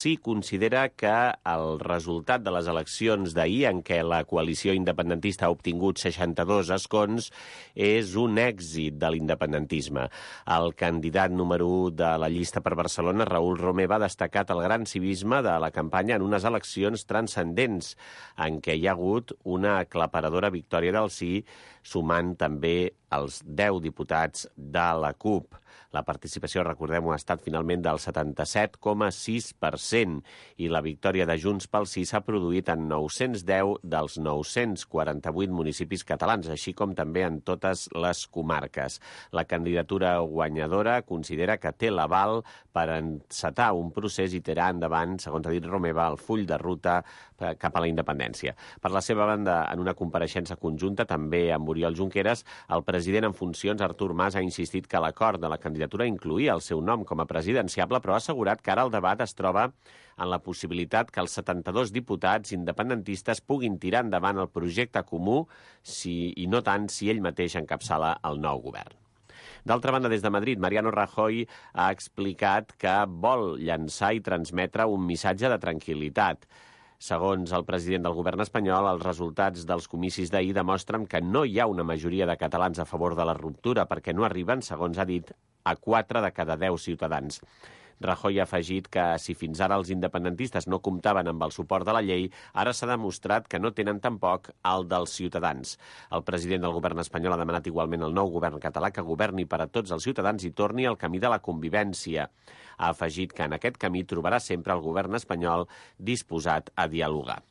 Sí, considera que el resultat de les eleccions d'ahir, en què la coalició independentista ha obtingut 62 escons, és un èxit de l'independentisme. El candidat número 1 de la llista per Barcelona, Raül Romeva, ha destacat el gran civisme de la campanya en unes eleccions transcendents, en què hi ha hagut una aclaparadora victòria del sí, sumant també els 10 diputats de la CUP. La participació, recordem-ho, ha estat finalment del 77,6% i la victòria de Junts pel Sí s'ha produït en 910 dels 948 municipis catalans, així com també en totes les comarques. La candidatura guanyadora considera que té l'aval per encetar un procés i tirar endavant, segons ha dit Romeva, el full de ruta cap a la independència. Per la seva banda, en una compareixença conjunta, també amb Oriol Junqueras, el president en funcions, Artur Mas, ha insistit que l'acord de la candidatura incloïa el seu nom com a presidenciable, però ha assegurat que ara el debat es troba en la possibilitat que els 72 diputats independentistes puguin tirar endavant el projecte comú i no tant si ell mateix encapçala el nou govern. D'altra banda, des de Madrid, Mariano Rajoy ha explicat que vol llançar i transmetre un missatge de tranquil·litat. Segons el president del govern espanyol, els resultats dels comicis d'ahir demostren que no hi ha una majoria de catalans a favor de la ruptura perquè no arriben, segons ha dit, a 4 de cada 10 ciutadans. Rajoy ha afegit que si fins ara els independentistes no comptaven amb el suport de la llei, ara s'ha demostrat que no tenen tampoc el dels ciutadans. El president del govern espanyol ha demanat igualment al nou govern català que governi per a tots els ciutadans i torni al camí de la convivència. Ha afegit que en aquest camí trobarà sempre el govern espanyol disposat a dialogar.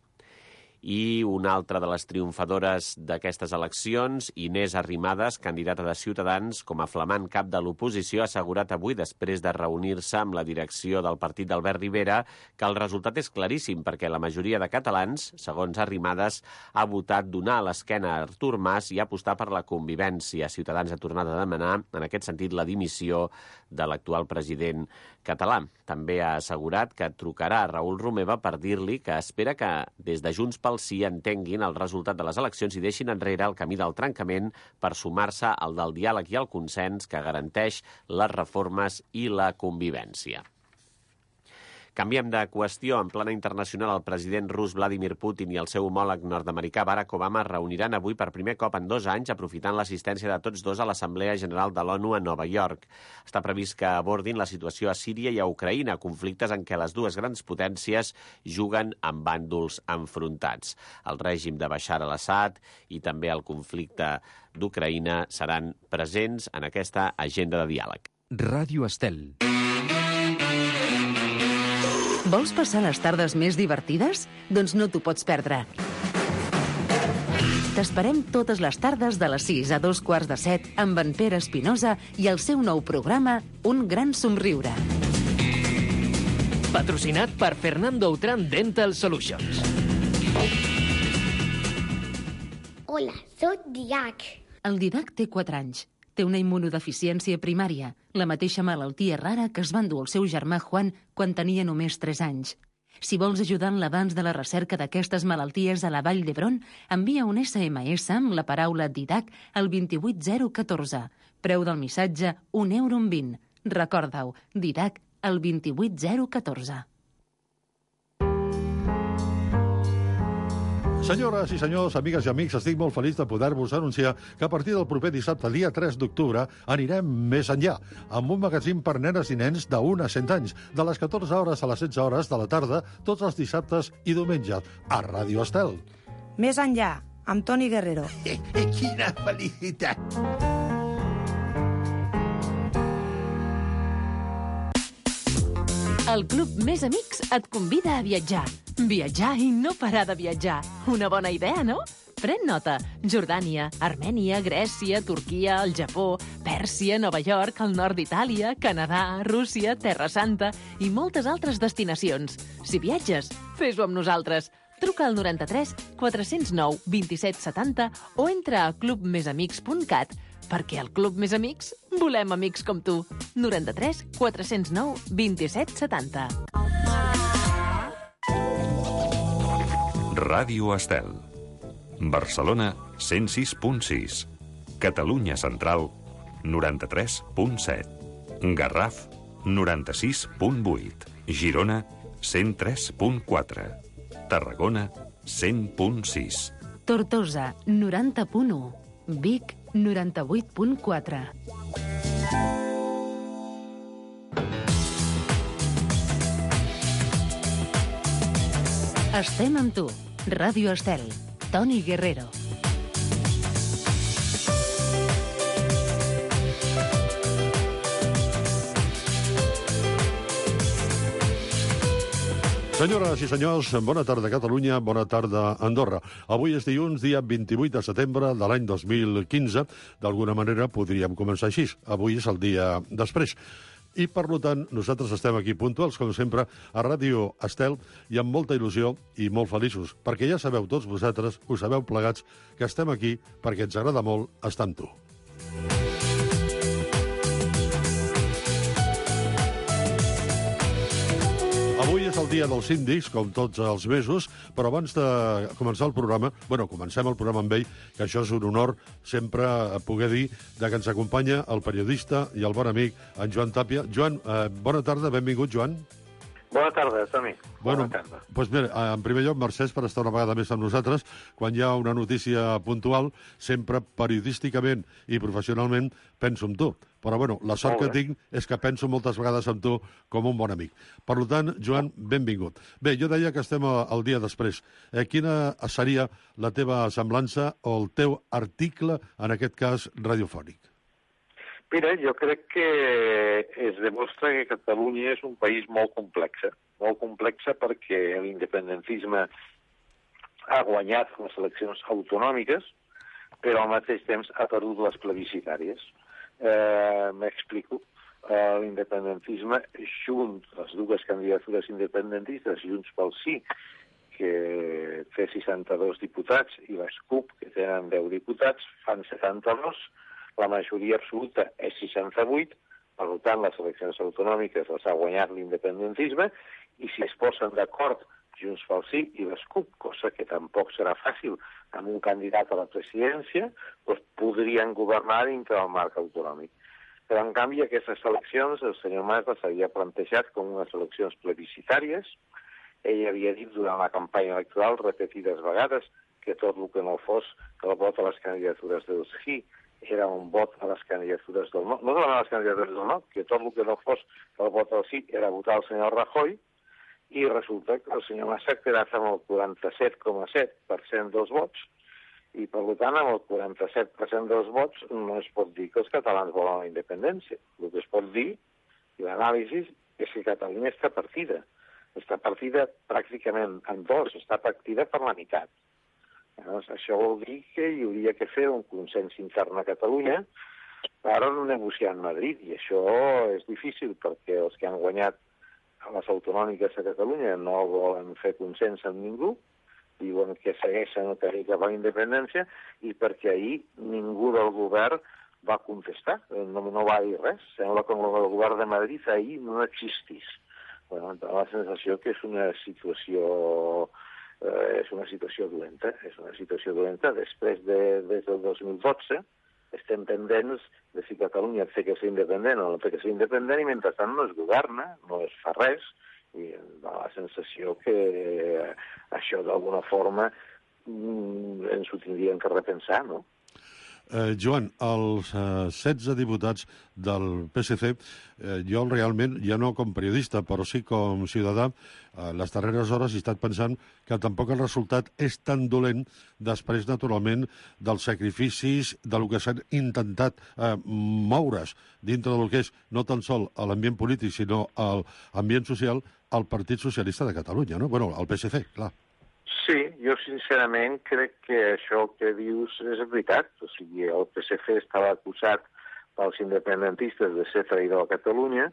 I una altra de les triomfadores d'aquestes eleccions, Inés Arrimadas, candidata de Ciutadans, com a flamant cap de l'oposició, ha assegurat avui, després de reunir-se amb la direcció del partit d'Albert Rivera, que el resultat és claríssim, perquè la majoria de catalans, segons Arrimadas, ha votat donar a l'esquena a Artur Mas i apostar per la convivència. Ciutadans ha tornat a demanar, en aquest sentit, la dimissió de l'actual president català. També ha assegurat que trucarà a Raül Romeva per dir-li que espera que des de Junts pel Sí entenguin el resultat de les eleccions i deixin enrere el camí del trencament per sumar-se al del diàleg i el consens que garanteix les reformes i la convivència. Canviem de qüestió. En plana internacional, el president rus Vladimir Putin i el seu homòleg nord-americà Barack Obama es reuniran avui per primer cop en 2 anys, aprofitant l'assistència de tots dos a l'Assemblea General de l'ONU a Nova York. Està previst que abordin la situació a Síria i a Ucraïna, conflictes en què les dues grans potències juguen amb bàndols enfrontats. El règim de Bashar al-Assad i també el conflicte d'Ucraïna seran presents en aquesta agenda de diàleg. Ràdio Estel. Vols passar les tardes més divertides? Doncs no t'ho pots perdre. T'esperem totes les tardes de les 6 a 6:45 amb en Pere Espinosa i el seu nou programa Un gran somriure. Patrocinat per Fernando Outram Dental Solutions. Hola, soc Didac. El Didac té 4 anys. Té una immunodeficiència primària, la mateixa malaltia rara que es va endur el seu germà Juan quan tenia només 3 anys. Si vols ajudar en l'avanç de la recerca d'aquestes malalties a la Vall d'Hebron, envia un SMS amb la paraula Didac al 28014. Preu del missatge, €1,20. Recorda-ho, Didac al 28014. Senyores i senyors, amigues i amics, estic molt feliç de poder-vos anunciar que a partir del proper dissabte, dia 3 d'octubre, anirem més enllà, amb un magazín per nenes i nens de 1 a 100 anys, de les 14 hores a les 16 hores de la tarda, tots els dissabtes i diumenges, a Ràdio Estel. Més enllà, amb Toni Guerrero. Quina felicitat! El Club Més Amics et convida a viatjar. Viatjar i no parar de viatjar. Una bona idea, no? Pren nota. Jordània, Armènia, Grècia, Turquia, el Japó, Pèrsia, Nova York, el nord d'Itàlia, Canadà, Rússia, Terra Santa i moltes altres destinacions. Si viatges, fes-ho amb nosaltres. Truca al 93 409 27 70 o entra a clubmesamics.cat perquè al Club Més Amics volem amics com tu. 93 409 27 70. Ràdio Estel. Barcelona 106.6. Catalunya Central 93.7. Garraf 96.8. Girona 103.4. Tarragona, 100.6. Tortosa, 90.1. Vic, 98.4. Estem amb tu. Ràdio Estel. Toni Guerrero. Senyores i senyors, bona tarda Catalunya, bona tarda Andorra. Avui és dilluns, dia 28 de setembre de l'any 2015. D'alguna manera podríem començar així. Avui és el dia després. I, per tant, nosaltres estem aquí puntuals, com sempre, a Ràdio Estel, i amb molta il·lusió i molt feliços, perquè ja sabeu tots vosaltres, ho sabeu plegats, que estem aquí perquè ens agrada molt estar amb tu. Avui és el dia dels síndics, com tots els mesos, però abans de començar el programa, comencem el programa amb ell, que això és un honor sempre poder dir que ens acompanya el periodista i el bon amic, en Joan Tàpia. Joan, bona tarda, benvingut, Joan. Bona tarda, Toni. Bona tarda. Doncs mira, en primer lloc, mercès per estar una vegada més amb nosaltres. Quan hi ha una notícia puntual, sempre periodísticament i professionalment penso en tu. Però, la sort que tinc és que penso moltes vegades en tu com un bon amic. Per tant, Joan, benvingut. Bé, jo deia que estem el dia després. Quina seria la teva semblança o el teu article, en aquest cas, radiofònic? Mira, jo crec que es demostra que Catalunya és un país molt complex perquè l'independentisme ha guanyat les eleccions autonòmiques, però al mateix temps ha perdut les plebiscitàries. M'explico. L'independentisme, junt les dues candidatures independentistes, Junts pel Sí, que té 62 diputats, i les CUP, que tenen 10 diputats, fan 72, la majoria absoluta és 68, per tant, les eleccions autonòmiques les ha guanyat l'independentisme, i si es posen d'acord Junts pel Sí i les CUP, cosa que tampoc serà fàcil amb un candidat a la presidència, doncs podrien governar dintre del marc autonòmic. Però, en canvi, aquestes eleccions, el senyor Mas les havia plantejat com unes eleccions plebiscitàries. Ell havia dit durant la campanya electoral repetides vegades que tot el que no fos que el vot a les candidatures del Sí era un vot a les candidatures del no. No a les candidatures del no, que tot el que no fos que el vot al sí era votar el senyor Rajoy, i resulta que el senyor Mas s'ha quedat amb el 47,7% dels vots, i per tant amb el 47% dels vots no es pot dir que els catalans volen la independència. El que es pot dir, i l'anàlisi, és que Catalunya està partida. Està partida pràcticament en dos, està partida per la meitat. Això vol dir que hi hauria que fer un consens intern a Catalunya per negociar en Madrid, i això és difícil perquè els que han guanyat les autonòmiques a Catalunya no volen fer consens amb ningú, diuen que segueixen el camí cap a la independència, i perquè ahir ningú del govern va contestar, no va dir res. Sembla que el govern de Madrid ahir no existís. La sensació que és una situació dolenta. És una situació dolenta. Després, des del 2012, estem pendents de si Catalunya té que ser independent o no té que ser independent, i mentrestant no es governa, no es fa res, i dona la sensació que això d'alguna forma ens ho tindríem que repensar, no? Joan, els 16 diputats del PSC, jo realment, ja no com periodista, però sí com ciutadà, les darreres hores he estat pensant que tampoc el resultat és tan dolent després, naturalment, dels sacrificis del que s'han intentat moure's dintre del que és no tan sol l'ambient polític, sinó l'ambient social, al Partit Socialista de Catalunya, no? El PSC, clar. Sí, jo sincerament crec que això que dius és veritat. O sigui, el PSC estava acusat pels independentistes de ser traïdor a Catalunya,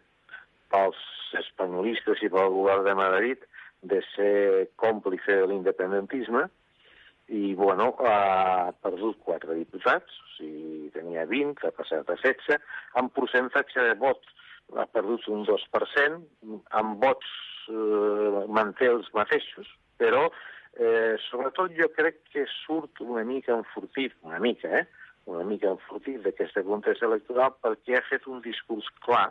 pels espanyolistes i pel govern de Madrid de ser còmplice de l'independentisme, i, ha perdut 4 diputats, o sigui, tenia 20, ha passat a 16, amb percentatge de vot ha perdut un 2%, amb vots manté els mateixos, però sobretot jo crec que surt una mica enfortit d'aquesta contesa electoral, perquè ha fet un discurs clar,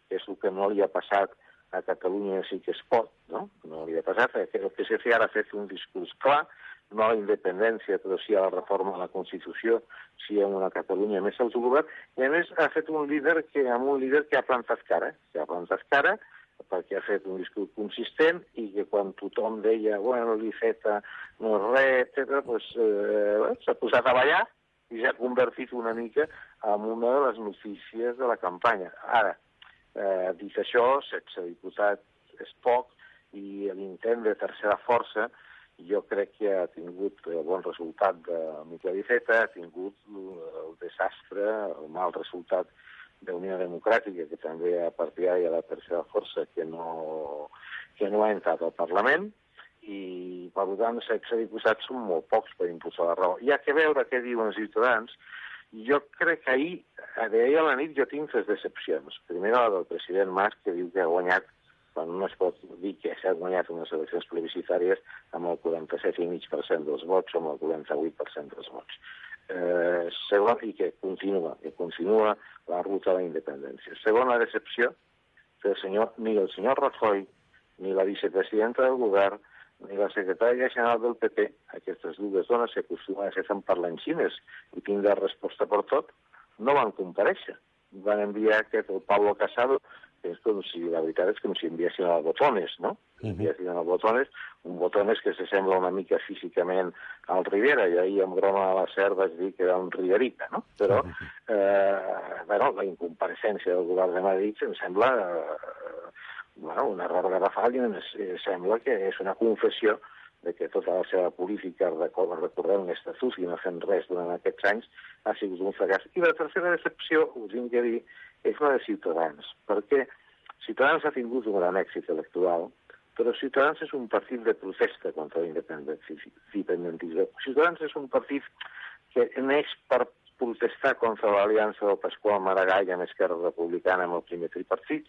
que és el que no li ha passat a Catalunya sí que es pot, no? No li ha passat, perquè el PSC ara ha fet un discurs clar, no a la independència, però sí a la reforma de la Constitució, sí a una Catalunya més autogovern, i a més ha fet un líder que ha plantat cara, perquè ha fet un discurs consistent i que quan tothom deia, bueno, l'Iceta no és res, etc., doncs s'ha posat a ballar i s'ha convertit una mica en una de les notícies de la campanya. Ara, dit això, 16 diputats és poc i l'intent de tercera força jo crec que ha tingut el bon resultat de Miquel Iceta, ha tingut el desastre, el mal resultat d'Unió Democràtica, que també ha partidari a la tercera força, que no ha entrat al Parlament, i per tant 16 diputats són molt pocs per impulsar la raó. Hi ha que veure què diuen els ciutadans. Jo crec que ahir a la nit jo tinc 3 decepcions. Primera, la del president Mas, que diu que ha guanyat, quan no es pot dir que s'ha guanyat unes eleccions plebiscitàries amb el 47,5% dels vots o amb el 48% dels vots. Segon, i que continua la ruta de la independència. Segona decepció, que ni el senyor Rajoy, ni la vicepresidenta del govern, ni la secretària general del PP, aquestes dues dones que acostumen a ser tan parlanxines i tindre resposta per tot, no van comparèixer. Van enviar el Pablo Casado, que és com si, la veritat és com si enviessin el Botones, no? Enviessin el Botones, un Botones que s'assembla una mica físicament al Rivera, i ahir amb broma a la SER vaig dir que era un Riverita, no? Però, la incompareixença del govern de Madrid em sembla un error garrafal i em sembla que és una confessió de que tota la seva política recorrent l'estatut i no fent res durant aquests anys ha sigut un fracàs. I la tercera decepció, us tinc que dir, és la de Ciutadans, perquè Ciutadans ha tingut un gran èxit electoral, però Ciutadans és un partit de protesta contra l'independentisme. Ciutadans és un partit que neix per protestar contra l'aliança del Pasqual Maragall amb Esquerra Republicana amb el primer tripartit,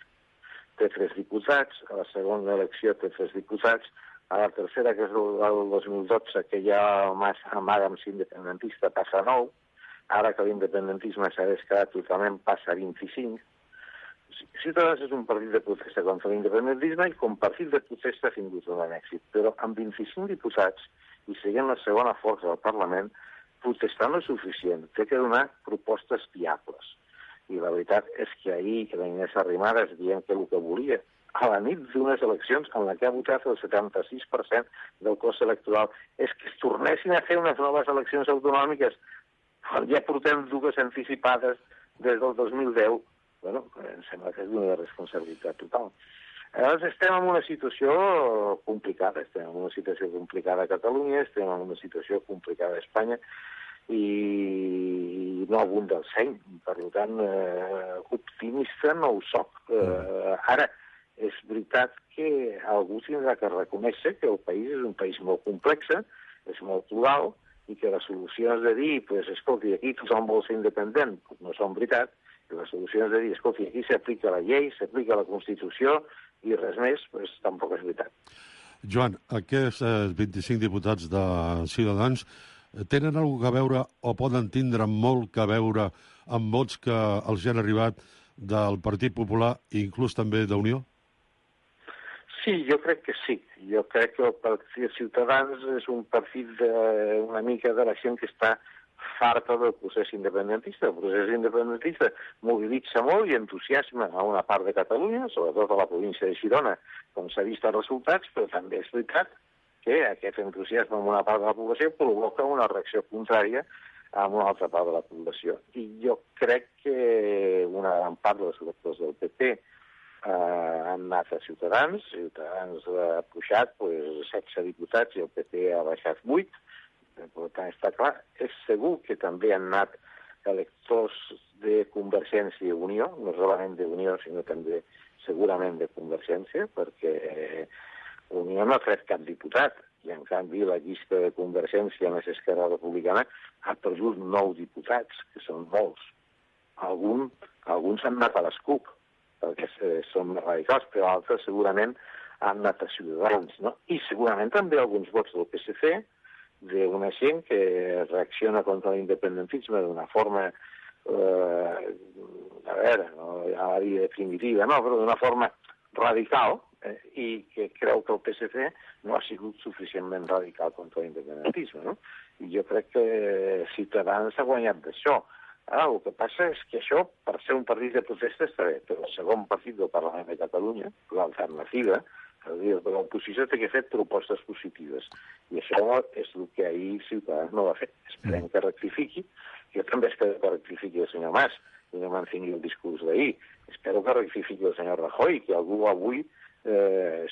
té 3 diputats, a la segona elecció té 3 diputats, a la tercera, que és el 2012, que ja el Mas amaga amb ser independentista, passa a 9, ara que l'independentisme s'ha descarat totalment, passa a 25. Ciutadans és un partit de protesta contra l'independentisme i com partit de protesta ha tingut un gran èxit, però amb 25 diputats i seguint la segona força del Parlament, protestar no és suficient, té que donar propostes viables. I la veritat és que ahir la Inés Arrimadas dient que el que volia a la nit d'unes eleccions en la que ha votat el 76% del cos electoral és que es tornessin a fer unes noves eleccions autonòmiques quan ja portem 2 anticipades des del 2010, em sembla que és una responsabilitat total. Llavors estem en una situació complicada, a Catalunya, estem en una situació complicada a Espanya i no abunda el seny, per tant, optimista no ho soc. Ara, és veritat que algú tindrà que reconèixer que el país és un país molt complex, és molt plural, i que les solucions de dir, escolti, aquí tothom vol ser independent, no són veritat, i les solucions de dir, escolti, aquí s'aplica la llei, s'aplica la Constitució, i res més, tampoc és veritat. Joan, aquests 25 diputats de Ciutadans tenen alguna cosa a veure o poden tindre molt que veure amb vots que els han arribat del Partit Popular i inclús també d'Unió? Sí, jo crec que sí. Jo crec que el Partit Ciutadans és un partit una mica de la gent que està farta del procés independentista. El procés independentista mobilitza molt i entusiasma a una part de Catalunya, sobretot a la província de Girona, com s'ha vist els resultats, però també és veritat que aquest entusiasme en una part de la població provoca una reacció contrària en una altra part de la població. I jo crec que una gran part dels electors del PP han anat a Ciutadans ha pujat 16 diputats i el PP ha baixat 8, per tant està clar. És segur que també han anat electors de Convergència i Unió, no solament d'Unió, sinó també segurament de Convergència, perquè Unió no ha tret cap diputat, i en canvi la llista de Convergència més Esquerra Republicana ha perdut 9 diputats, que són molts. Alguns han anat a les CUP, perquè són més radicals, però altres segurament han anat a Ciutadans, no? I segurament també alguns vots del PSC, d'una gent que reacciona contra l'independentisme d'una forma, no, ja la dir definitiva, no, però d'una forma radical i que creu que el PSC no ha sigut suficientment radical contra l'independentisme, no? I jo crec que Ciutadans ha guanyat d'això. El que passa és que això, per ser un partit de protesta, està bé, però el segon partit del Parlament de Catalunya, l'alternativa, és a dir, l'oposició té que fer propostes positives. I això és el que ahir Ciutadans no va fer. Esperem que rectifiqui. Jo també espero que rectifiqui el senyor Mas i no mantingui el discurs d'ahir. Espero que rectifiqui el senyor Rajoy, que algú avui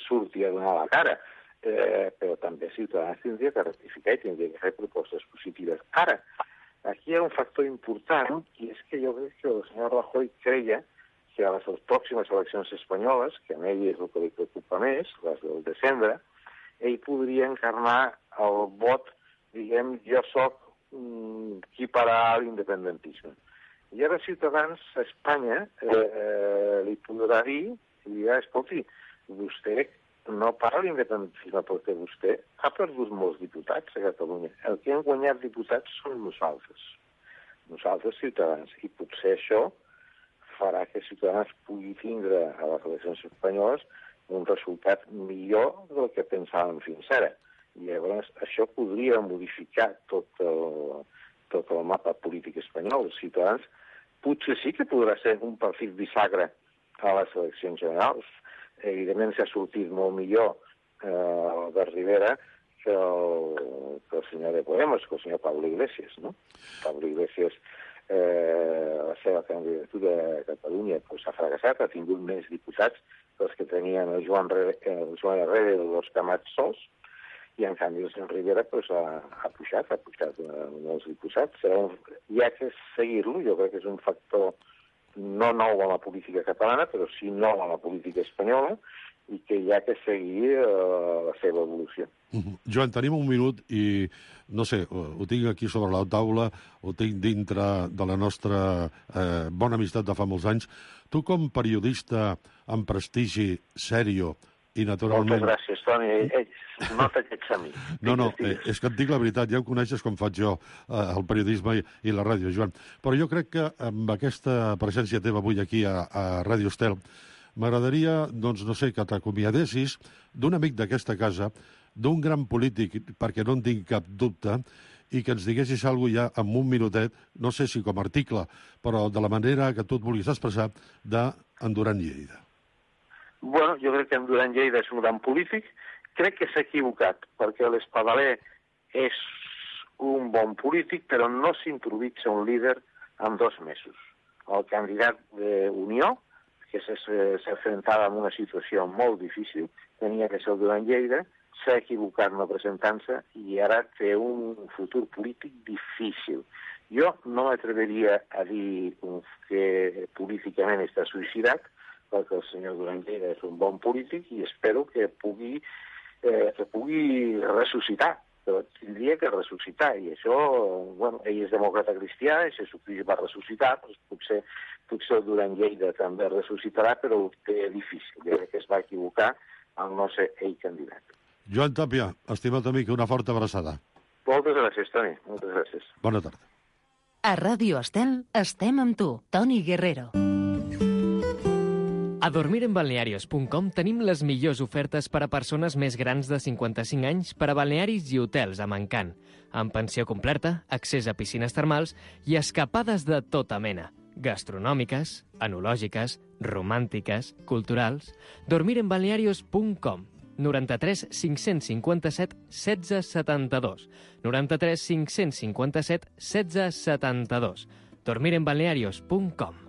surti a donar la cara. Però també Ciutadans tindria que rectificar i tindria que fer propostes positives. Ara, aquí hi ha un factor important, i és que jo crec que el senyor Rajoy creia que a les pròximes eleccions espanyoles, que a ell és el que li preocupa més, les del desembre, ell podria encarnar el vot, diguem, jo soc qui pararà l'independentisme. I ara Ciutadans a Espanya li podrà dir, i dirà, escolti, vostè no para l'independentisme perquè vostè ha perdut molts diputats a Catalunya. El que han guanyat diputats són nosaltres, Ciutadans, i potser això farà que Ciutadans pugui tindre a les eleccions espanyoles un resultat millor del que pensàvem fins ara. I llavors això podria modificar tot el mapa polític espanyol. Ciutadans potser sí que podrà ser un partit bisagre a les eleccions generals. Evidentment s'ha sortit molt millor Albert Rivera que el senyor de Podemos, que el senyor Pablo Iglesias, no? Pablo Iglesias, la seva candidatura a Catalunya s'ha fracassat, ha tingut més diputats que els que tenien el Joan Herrera i l'Òscar Mat sols, i en canvi el senyor Rivera ha pujat molts diputats. Hi ha que seguir-lo, jo crec que és un factor no nou a la política catalana, però sí nou a la política espanyola, i que hi ha que seguir la seva evolució. Joan, tenim un minut i, no sé, ho tinc aquí sobre la taula, ho tinc dintre de la nostra bona amistat de fa molts anys. Tu, com periodista amb prestigi, sèrio, i naturalment... Moltes gràcies, Toni. Nota que ets amic. No, és que et dic la veritat, ja em coneixes com faig jo, el periodisme i la ràdio, Joan. Però jo crec que amb aquesta presència teva avui aquí a Ràdio Estel, m'agradaria, doncs, no sé, que t'acomiadessis d'un amic d'aquesta casa, d'un gran polític, perquè no en tinc cap dubte, i que ens diguessis alguna cosa ja en un minutet, no sé si com a article, però de la manera que tu et vulguis expressar, d'en Duran Lleida. Bueno, jo crec que en Duran Lleida és un gran polític. Crec que s'ha equivocat, perquè l'Espadaler és un bon polític, però no s'improvisa un líder en 2 mesos. El candidat d'Unió, que s'enfrontava amb una situació molt difícil, tenia que ser el Duran Lleida, s'ha equivocat no presentant-se i ara té un futur polític difícil. Jo no m'atreveria a dir que políticament està suïcidat, perquè el senyor Duran Lleida és un bon polític i espero que pugui ressuscitar, però tindria que ressuscitar, i això, bueno, ell és demòcrata cristià, i Jesucrist va ressuscitar, doncs potser el Duran Lleida també ressuscitarà, però ho té difícil. Jo crec que es va equivocar al no ser ell candidat. Joan Tàpia, estimat amic, una forta abraçada. Moltes gràcies, Toni. Moltes gràcies. Bona tarda. A Ràdio Estel estem amb tu, Toni Guerrero. A dormirenbalnearios.com tenim les millors ofertes per a persones més grans de 55 anys per a balnearis i hotels a Mancant, amb pensió completa, accés a piscines termals i escapades de tota mena, gastronòmiques, enològiques, romàntiques, culturals. Dormirenbalnearios.com 93 557 16 72 93 557 16 72 dormirenbalnearios.com.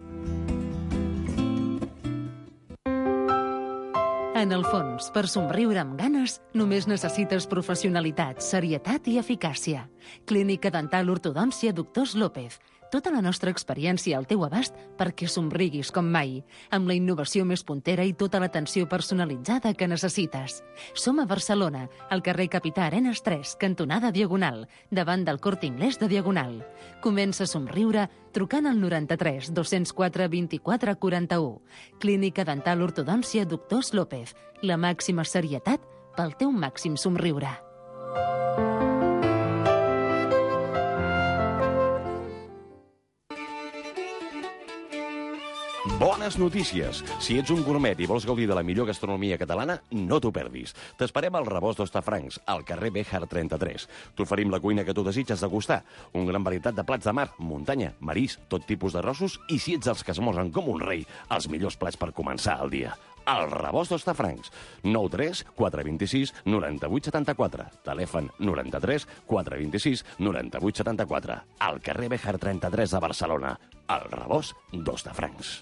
En el fons, per somriure amb ganes, només necessites professionalitat, serietat i eficàcia. Clínica Dental Ortodòncia Doctors López. Tota la nostra experiència al teu abast perquè somriguis com mai, amb la innovació més puntera i tota l'atenció personalitzada que necessites. Som a Barcelona, al carrer Capità Arenas 3, cantonada Diagonal, davant del Corte Inglés de Diagonal. Comença a somriure trucant al 93 204 24 41. Clínica Dental Ortodòncia Doctors López. La màxima serietat pel teu màxim somriure. Bones notícies! Si ets un gourmet i vols gaudir de la millor gastronomia catalana, no t'ho perdis. T'esperem al Rebost d'Hostafrancs, al carrer Béjar 33. T'oferim la cuina que tu desitges degustar. Un gran varietat de plats de mar, muntanya, marís, tot tipus de rossos i, si ets els que esmorzen com un rei, els millors plats per començar el dia. El Rebost d'Hostafrancs. 93 426 98 74. Telèfon 93 426 98 74. Al carrer Béjar 33 de Barcelona. El Rebost d'Hostafrancs.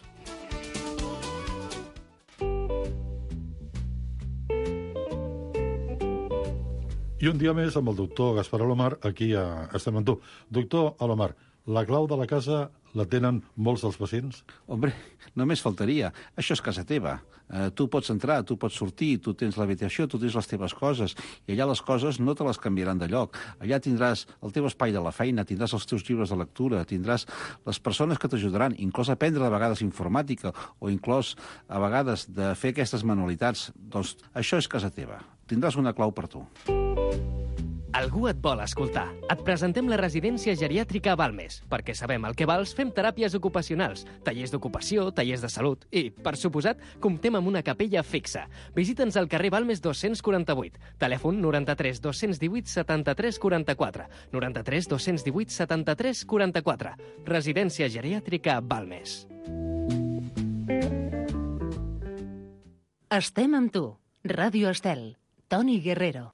I un dia més amb el doctor Gaspar Alomar, aquí estem amb tu. Doctor Alomar, la clau de la casa la tenen molts dels pacients? Hombre, només faltaria. Això és casa teva. Tu pots entrar, tu pots sortir, tu tens l'habitació, tu tens les teves coses, i allà les coses no te les canviaran de lloc. Allà tindràs el teu espai de la feina, tindràs els teus llibres de lectura, tindràs les persones que t'ajudaran, inclús a aprendre de vegades informàtica o inclús a vegades de fer aquestes manualitats. Doncs això és casa teva. Tindràs una clau per tu. Algú et vol escoltar. Et presentem la residència geriàtrica a Balmes. Perquè sabem el que vals, fem teràpies ocupacionals, tallers d'ocupació, tallers de salut i, per suposat, comptem amb una capella fixa. Visita'ns al carrer Balmes 248. Telèfon 93 218 73 44. 93 218 73 44. Residència geriàtrica Balmes. Estem amb tu. Ràdio Estel. Toni Guerrero.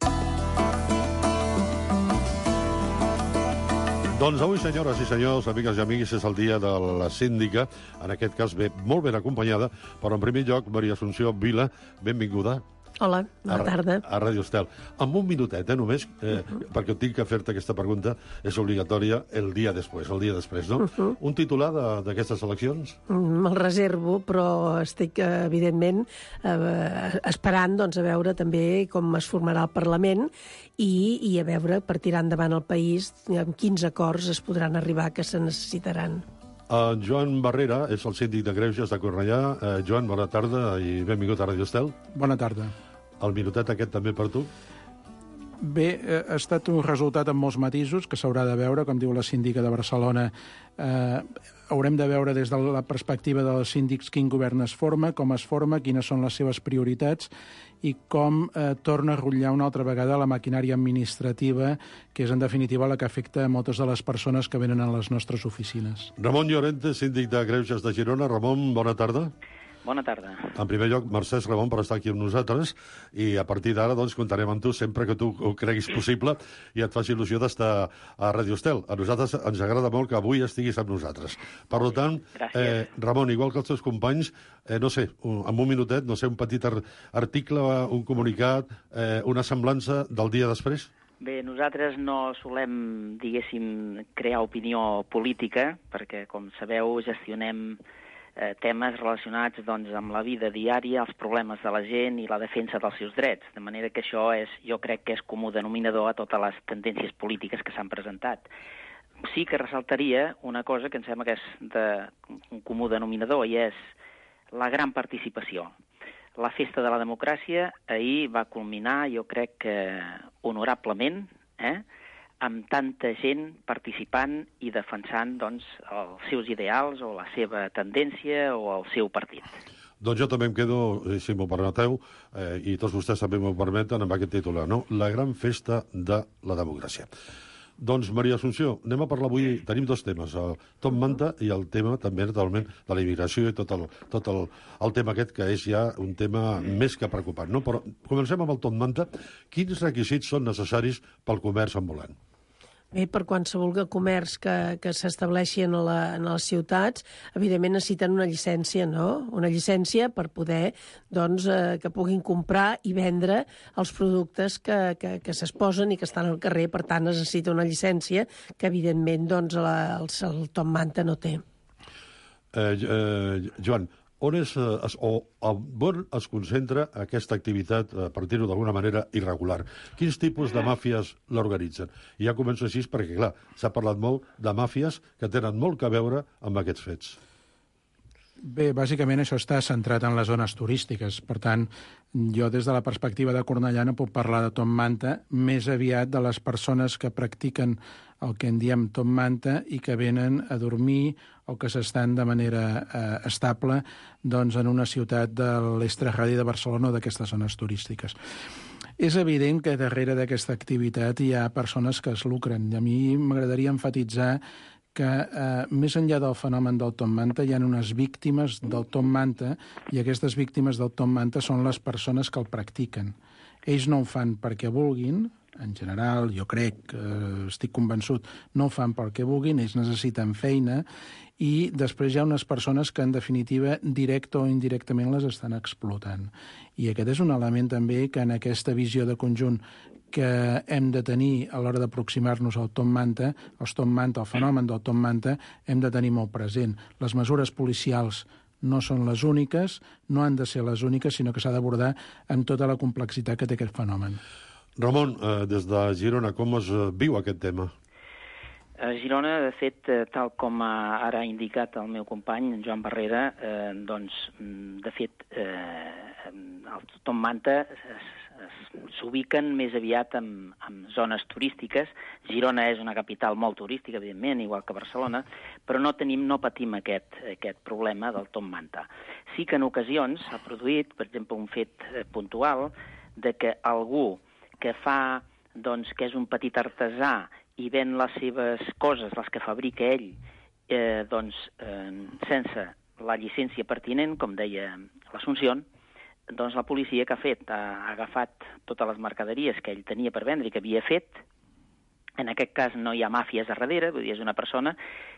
Doncs avui, senyores i senyors, amigues i amics, és el dia de la síndica, en aquest cas molt ben acompanyada, però en primer lloc, Maria Assumpció Vila, benvinguda. Hola, bona tarda. A Ràdio Estel. Amb un minutet, només, perquè tinc que fer-te aquesta pregunta, és obligatòria el dia després, no? Un titular d'aquestes eleccions? Me'l reservo, però estic, evidentment, esperant a veure també com es formarà el Parlament i a veure, per tirar endavant el país, amb quins acords es podran arribar que se necessitaran. Joan Barrera és el síndic de Greuges de Cornellà. Joan, bona tarda i benvingut a Ràdio Estel. Bona tarda. El minutet aquest també per tu? Bé, ha estat un resultat amb molts matisos que s'haurà de veure, com diu la síndica de Barcelona. Haurem de veure des de la perspectiva dels síndics quin govern es forma, com es forma, quines són les seves prioritats i com torna a rotllar una altra vegada la maquinària administrativa, que és en definitiva la que afecta a moltes de les persones que venen a les nostres oficines. Ramon Llorente, síndic de Greuges de Girona. Ramon, bona tarda. Bona tarda. En primer lloc, mercè, Ramon, per estar aquí amb nosaltres, i a partir d'ara doncs, comptarem amb tu sempre que tu ho creguis possible i et faci il·lusió d'estar a Ràdio Estel. A nosaltres ens agrada molt que avui estiguis amb nosaltres. Per tant, Ramon, igual que els teus companys, no sé, en un minutet, no sé, un petit article, un comunicat, una semblança del dia després? Bé, nosaltres no solem, diguéssim, crear opinió política, perquè, com sabeu, gestionem temes relacionats amb la vida diària, els problemes de la gent i la defensa dels seus drets. De manera que això jo crec que és comú denominador a totes les tendències polítiques que s'han presentat. Sí que ressaltaria una cosa que em sembla que és un comú denominador i és la gran participació. La festa de la democràcia ahir va culminar, jo crec que honorablement, amb tanta gent participant i defensant els seus ideals o la seva tendència o el seu partit. Doncs jo també em quedo, si m'ho permeteu, i tots vostès també m'ho permeten, amb aquest titular, no? La gran festa de la democràcia. Doncs, Maria Assumpció, anem a parlar avui, tenim dos temes, el Top Manta i el tema també, naturalment, de la immigració i tot el tema aquest, que és ja un tema més que preocupant, no? Però comencem amb el Top Manta. Quins requisits són necessaris pel comerç ambulant? Bé, per qualsevol comerç que s'estableixi en les ciutats, evidentment necessiten una llicència, no? Una llicència per poder, que puguin comprar i vendre els productes que s'exposen i que estan al carrer. Per tant, es necessita una llicència que, evidentment, el Top Manta no té. Joan, on es concentra aquesta activitat, per dir-ho d'alguna manera, irregular? Quins tipus de màfies l'organitzen? I ja començo així perquè, clar, s'ha parlat molt de màfies que tenen molt a veure amb aquests fets. Bé, bàsicament això està centrat en les zones turístiques. Per tant, jo des de la perspectiva de Cornellà no puc parlar de Top Manta, més aviat de les persones que practiquen el que en diem Top Manta i que venen a dormir o que s'estan de manera estable doncs, en una ciutat de l'extraradi de Barcelona o d'aquestes zones turístiques. És evident que darrere d'aquesta activitat hi ha persones que es lucren. I a mi m'agradaria emfatitzar que més enllà del fenomen del Tom Manta hi ha unes víctimes del Tom Manta i aquestes víctimes del Tom Manta són les persones que el practiquen. Ells no ho fan perquè vulguin, en general, jo crec, estic convençut, no ho fan perquè vulguin, ells necessiten feina i després hi ha unes persones que, en definitiva, directe o indirectament les estan explotant. I aquest és un element també que en aquesta visió de conjunt que hem de tenir a l'hora d'aproximar-nos al Tom Manta, el fenomen del Tom Manta, hem de tenir molt present. Les mesures policials no són les úniques, no han de ser les úniques, sinó que s'ha d'abordar amb tota la complexitat que té aquest fenomen. Ramon, des de Girona, com es viu aquest tema? A Girona, de fet, tal com ara ha indicat el meu company, en Joan Barrera, de fet, el Tom Manta s'ubiquen més aviat en zones turístiques. Girona és una capital molt turística, evidentment, igual que Barcelona, però no patim aquest problema del Tom Manta. Sí que en ocasions s'ha produït, per exemple, un fet puntual de que algú que fa, que és un petit artesà i ven les seves coses, les que fabrica ell, sense la llicència pertinent, com deia l'Assumpció, doncs la policia que ha fet? Ha agafat totes les mercaderies que ell tenia per vendre i que havia fet. En aquest cas no hi ha màfies a darrere, vull dir, és una persona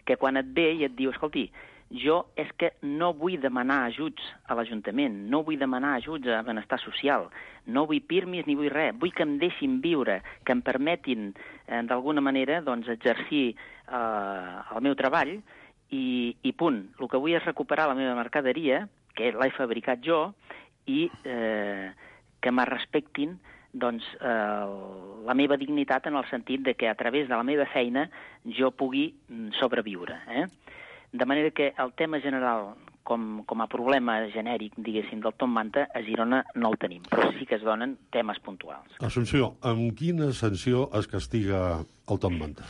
que quan et ve i et diu, escolti, jo és que no vull demanar ajuts a l'Ajuntament, no vull demanar ajuts a benestar social, no vull pirmis ni vull res, vull que em deixin viure, que em permetin d'alguna manera exercir el meu treball i punt. El que vull és recuperar la meva mercaderia, que l'he fabricat jo, i que me respectin la meva dignitat en el sentit de que a través de la meva feina jo pugui sobreviure. De manera que el tema general, com a problema genèric, diguéssim, del Tom Manta, a Girona no el tenim, però sí que es donen temes puntuals. Assumpció, amb quina sanció es castiga el Tom Manta?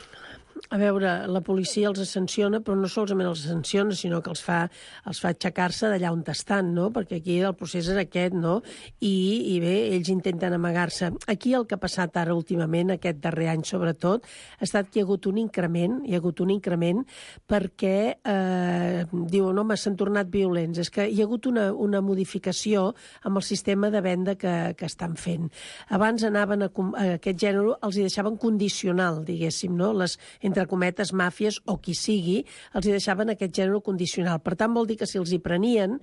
A veure, la policia els sanciona, però no solament els sanciona, sinó que els fa aixecar-se d'allà on estan, no? Perquè aquí el procés és aquest, no? I bé, ells intenten amagar-se. Aquí el que ha passat ara últimament, aquest darrer any sobretot, ha estat que hi ha hagut un increment, perquè diuen, home, s'han tornat violents. És que hi ha hagut una modificació amb el sistema de venda que estan fent. Abans anaven a aquest gènere, els hi deixaven condicional, diguéssim, no? Les entre cometes, màfies o qui sigui, els hi deixaven aquest gènere condicional. Per tant, vol dir que si els hi prenien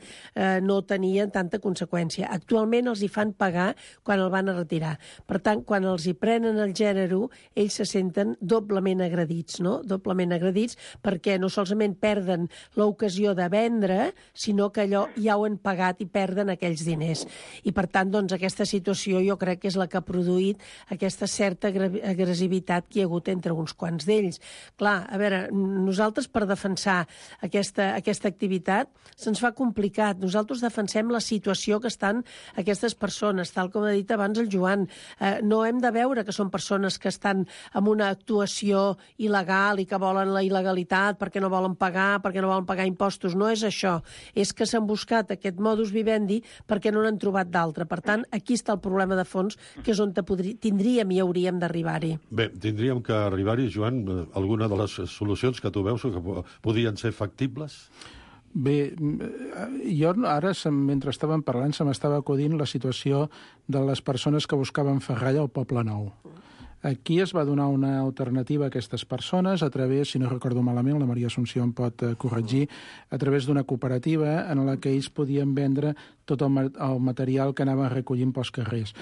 no tenien tanta conseqüència. Actualment els hi fan pagar quan el van a retirar. Per tant, quan els hi prenen el gènere, ells se senten doblement agredits, no? Doblement agredits perquè no solament perden l'ocasió de vendre, sinó que allò ja ho han pagat i perden aquells diners. I per tant, doncs, aquesta situació jo crec que és la que ha produït aquesta certa agressivitat que hi ha hagut entre uns quants d'ells. Clar, a veure, nosaltres per defensar aquesta activitat se'ns fa complicat. Nosaltres defensem la situació que estan aquestes persones, tal com ha dit abans el Joan. No hem de veure que són persones que estan en una actuació il·legal i que volen la il·legalitat perquè no volen pagar impostos. No és això. És que s'han buscat aquest modus vivendi perquè no n'han trobat d'altre. Per tant, aquí està el problema de fons, que és on tindríem i hauríem d'arribar-hi. Bé, tindríem que arribar-hi, Joan, alguna de les solucions que tu veus que podien ser factibles? Bé, jo ara, mentre estàvem parlant, se m'estava acudint la situació de les persones que buscaven ferralla al Poble Nou. Aquí es va donar una alternativa a aquestes persones a través, si no recordo malament, la Maria Assumpció em pot corregir, a través d'una cooperativa en la que ells podien vendre tot el material que anaven recollint pels carrers.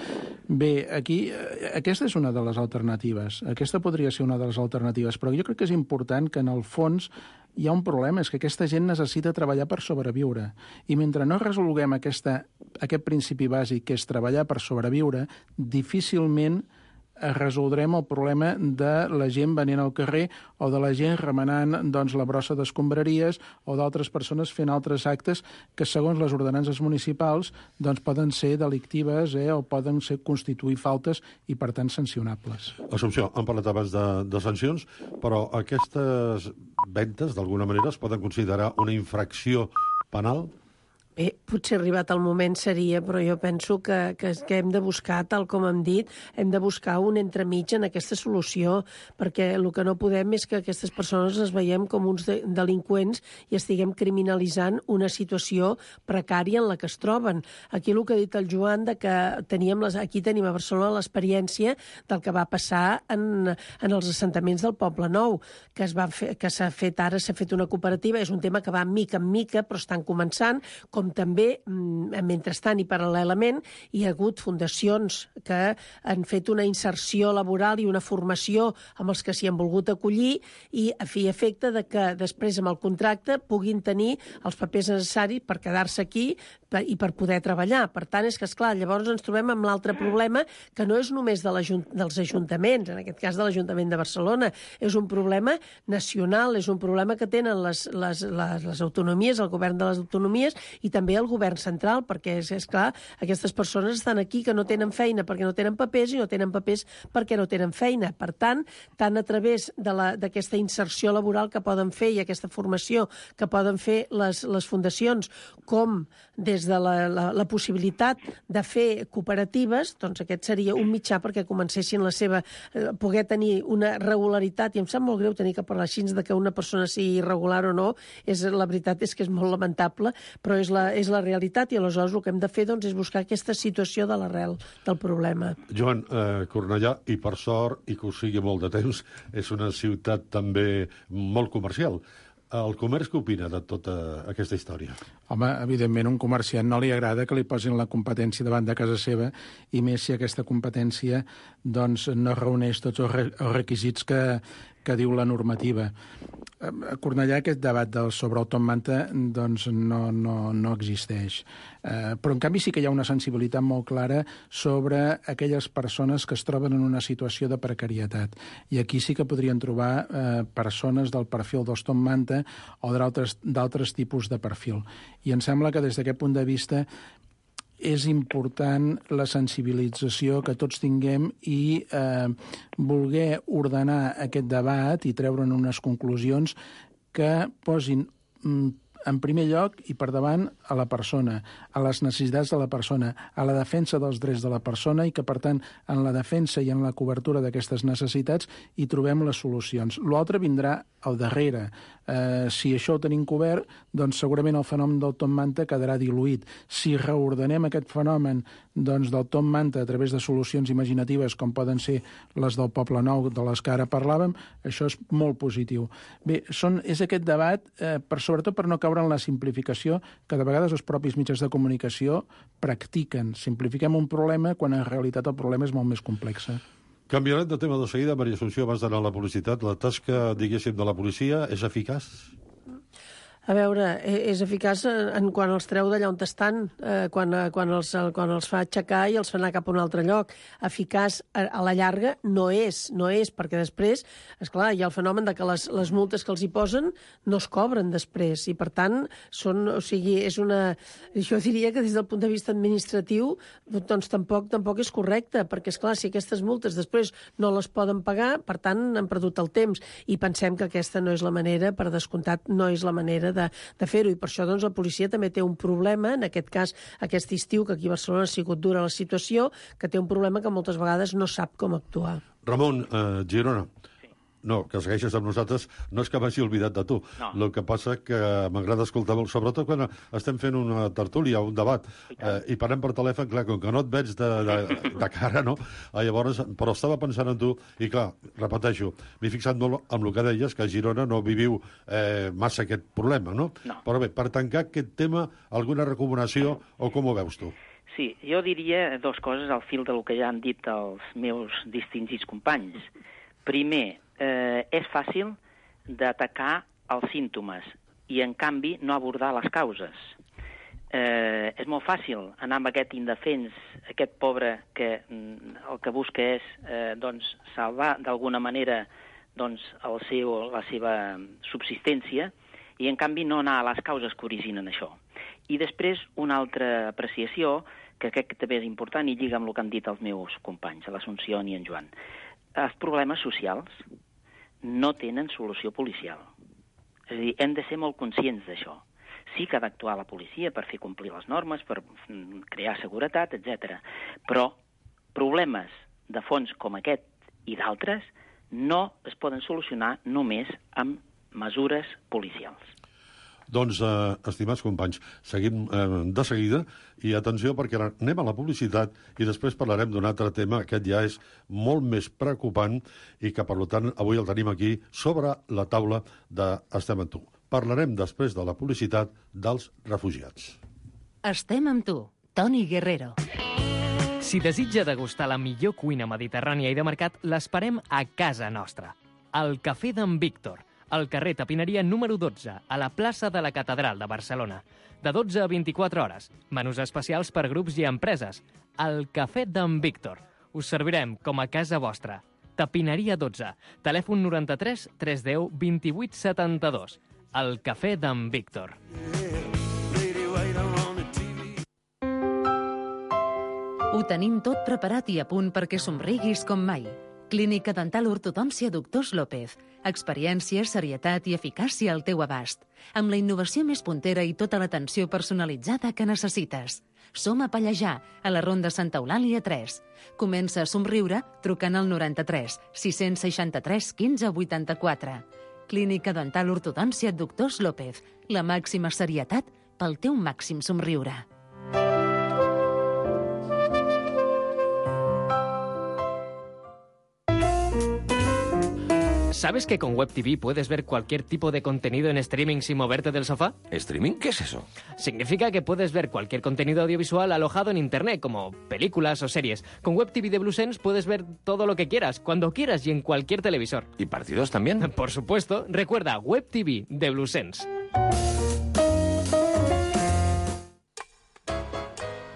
Bé, aquí, aquesta és una de les alternatives. Aquesta podria ser una de les alternatives, però jo crec que és important que en el fons hi ha un problema, és que aquesta gent necessita treballar per sobreviure. I mentre no resolguem aquest principi bàsic, que és treballar per sobreviure, difícilment resoldrem el problema de la gent venint al carrer o de la gent remenant doncs, la brossa d'escombraries o d'altres persones fent altres actes que, segons les ordenances municipals, doncs, poden ser delictives o poden constituir faltes i, per tant, sancionables. Assumpció, hem parlat abans de sancions, però aquestes ventes, d'alguna manera, es poden considerar una infracció penal? Bé, potser arribat el moment seria, però jo penso que hem de buscar, tal com hem dit, hem de buscar un entremig en aquesta solució, perquè el que no podem és que aquestes persones les veiem com uns delinqüents i estiguem criminalitzant una situació precària en la que es troben. Aquí el que ha dit el Joan, de que aquí tenim a Barcelona l'experiència del que va passar en els assentaments del Poble Nou, que s'ha fet ara, s'ha fet una cooperativa, és un tema que va mica en mica, però estan començant, com també, mentrestant i paral·lelament, hi ha hagut fundacions que han fet una inserció laboral i una formació amb els que s'hi han volgut acollir i a fi i efecte de que després amb el contracte puguin tenir els papers necessaris per quedar-se aquí i per poder treballar. Per tant, és que, esclar, llavors ens trobem amb l'altre problema, que no és només dels ajuntaments, en aquest cas de l'Ajuntament de Barcelona, és un problema nacional, és un problema que tenen les autonomies, el govern de les autonomies i també el govern central, perquè, és clar, aquestes persones estan aquí que no tenen feina perquè no tenen papers i no tenen papers perquè no tenen feina. Per tant, tant a través d'aquesta inserció laboral que poden fer i aquesta formació que poden fer les fundacions, com des de la possibilitat de fer cooperatives, doncs aquest seria un mitjà perquè comencessin poder tenir una regularitat, i em sap molt greu tenir que parlar així de que una persona sigui irregular o no, la veritat és que és molt lamentable, però és la realitat, i aleshores el que hem de fer és buscar aquesta situació de l'arrel del problema. Joan, Cornellà, i per sort, i que ho sigui molt de temps, és una ciutat també molt comercial. El comerç què opina de tota aquesta història? Home, evidentment, un comerciant no li agrada que li posin la competència davant de casa seva, i més si aquesta competència no reuneix tots els requisits que diu la normativa. A Cornellà aquest debat sobre el Top Manta no existeix. Però, en canvi, sí que hi ha una sensibilitat molt clara sobre aquelles persones que es troben en una situació de precarietat. I aquí sí que podrien trobar persones del perfil dels Top Manta o d'altres tipus de perfil. I em sembla que des d'aquest punt de vista és important la sensibilització que tots tinguem i voler ordenar aquest debat i treure'n unes conclusions que posin en primer lloc i per davant a la persona, a les necessitats de la persona, a la defensa dels drets de la persona i que, per tant, en la defensa i en la cobertura d'aquestes necessitats hi trobem les solucions. L'altre vindrà al darrere. Si això ho tenim cobert, doncs segurament el fenomen del Top Manta quedarà diluït. Si reordenem aquest fenomen del Top Manta a través de solucions imaginatives com poden ser les del Poble Nou, de les que ara parlàvem, això és molt positiu. Bé, és aquest debat, sobretot per no caure en la simplificació que de vegades els propis mitjans de comunicació practiquen. Simplifiquem un problema quan en realitat el problema és molt més complex. Canviarem de tema de seguida. Maria Assumpció, abans d'anar a la publicitat, la tasca, diguéssim, de la policia és eficaç? A veure, és eficaç quan els treu d'allà on estan, quan els fa aixecar i els fa anar cap a un altre lloc. Eficaç a la llarga no és, perquè després, esclar, hi ha el fenomen de que les multes que els hi posen no es cobren després, i per tant, jo diria que des del punt de vista administratiu doncs tampoc és correcte, perquè, esclar, si aquestes multes després no les poden pagar, per tant, han perdut el temps, i pensem que aquesta no és la manera, per descomptat, no és la manera de fer-ho, i per això la policia també té un problema, en aquest cas aquest estiu, que aquí a Barcelona ha sigut dura la situació, que té un problema que moltes vegades no sap com actuar. Ramon, Girona. No, que segueixes amb nosaltres, no és que m'hagi oblidat de tu. No. El que passa que m'agrada escoltar molt, sobretot quan estem fent una tertúlia, un debat, i parlem per telèfon, clar, com que no et veig de cara, no? Llavors, però estava pensant en tu, i clar, repeteixo, m'he fixat molt amb el que deies, que a Girona no viviu massa aquest problema, no? Però bé, per tancar aquest tema, alguna recomanació o com ho veus tu? Sí, jo diria dues coses al fil del que ja han dit els meus distingits companys. Primer, és fàcil d'atacar els símptomes i, en canvi, no abordar les causes. és molt fàcil anar amb aquest indefens, aquest pobre que el que busca és salvar d'alguna manera la seva subsistència, i en canvi no anar a les causes que originen això. I després una altra apreciació, que crec que també és important i lliga amb el que han dit els meus companys, l'Assumpció i en Joan. Els problemes socials no tenen solució policial. És a dir, hem de ser molt conscients d'això. Sí que ha d'actuar la policia per fer complir les normes, per crear seguretat, etc. Però problemes de fons com aquest i d'altres no es poden solucionar només amb mesures policials. Doncs, estimats companys, seguim de seguida i atenció perquè anem a la publicitat i després parlarem d'un altre tema. Aquest ja és molt més preocupant i que, per tant, avui el tenim aquí sobre la taula de Estem amb tu. Parlarem després de la publicitat dels refugiats. Estem amb tu, Toni Guerrero. Si desitja degustar la millor cuina mediterrània i de mercat, l'esperem a casa nostra. Al Cafè d'en Víctor, al carrer Tapineria número 12, a la plaça de la Catedral de Barcelona. De 12 a 24 hores. Menús especials per grups i empreses. Al Cafè d'en Víctor. Us servirem com a casa vostra. Tapineria 12. Telèfon 93 310 28 72. Al Cafè d'en Víctor. Ho tenim tot preparat i a punt perquè somriguis com mai. Clínica Dental Ortodòncia Doctors López. Experiència, serietat i eficàcia al teu abast. Amb la innovació més puntera i tota l'atenció personalitzada que necessites. Som a Pallejà, a la Ronda Santa Eulàlia 3. Comença a somriure trucant al 93 663 15 84. Clínica Dental Ortodòncia Doctors López. La màxima serietat pel teu màxim somriure. ¿Sabes que con Web TV puedes ver cualquier tipo de contenido en streaming sin moverte del sofá? ¿Streaming? ¿Qué es eso? Significa que puedes ver cualquier contenido audiovisual alojado en Internet, como películas o series. Con Web TV de Bluesense puedes ver todo lo que quieras, cuando quieras y en cualquier televisor. ¿Y partidos también? Por supuesto. Recuerda, Web TV de Bluesense.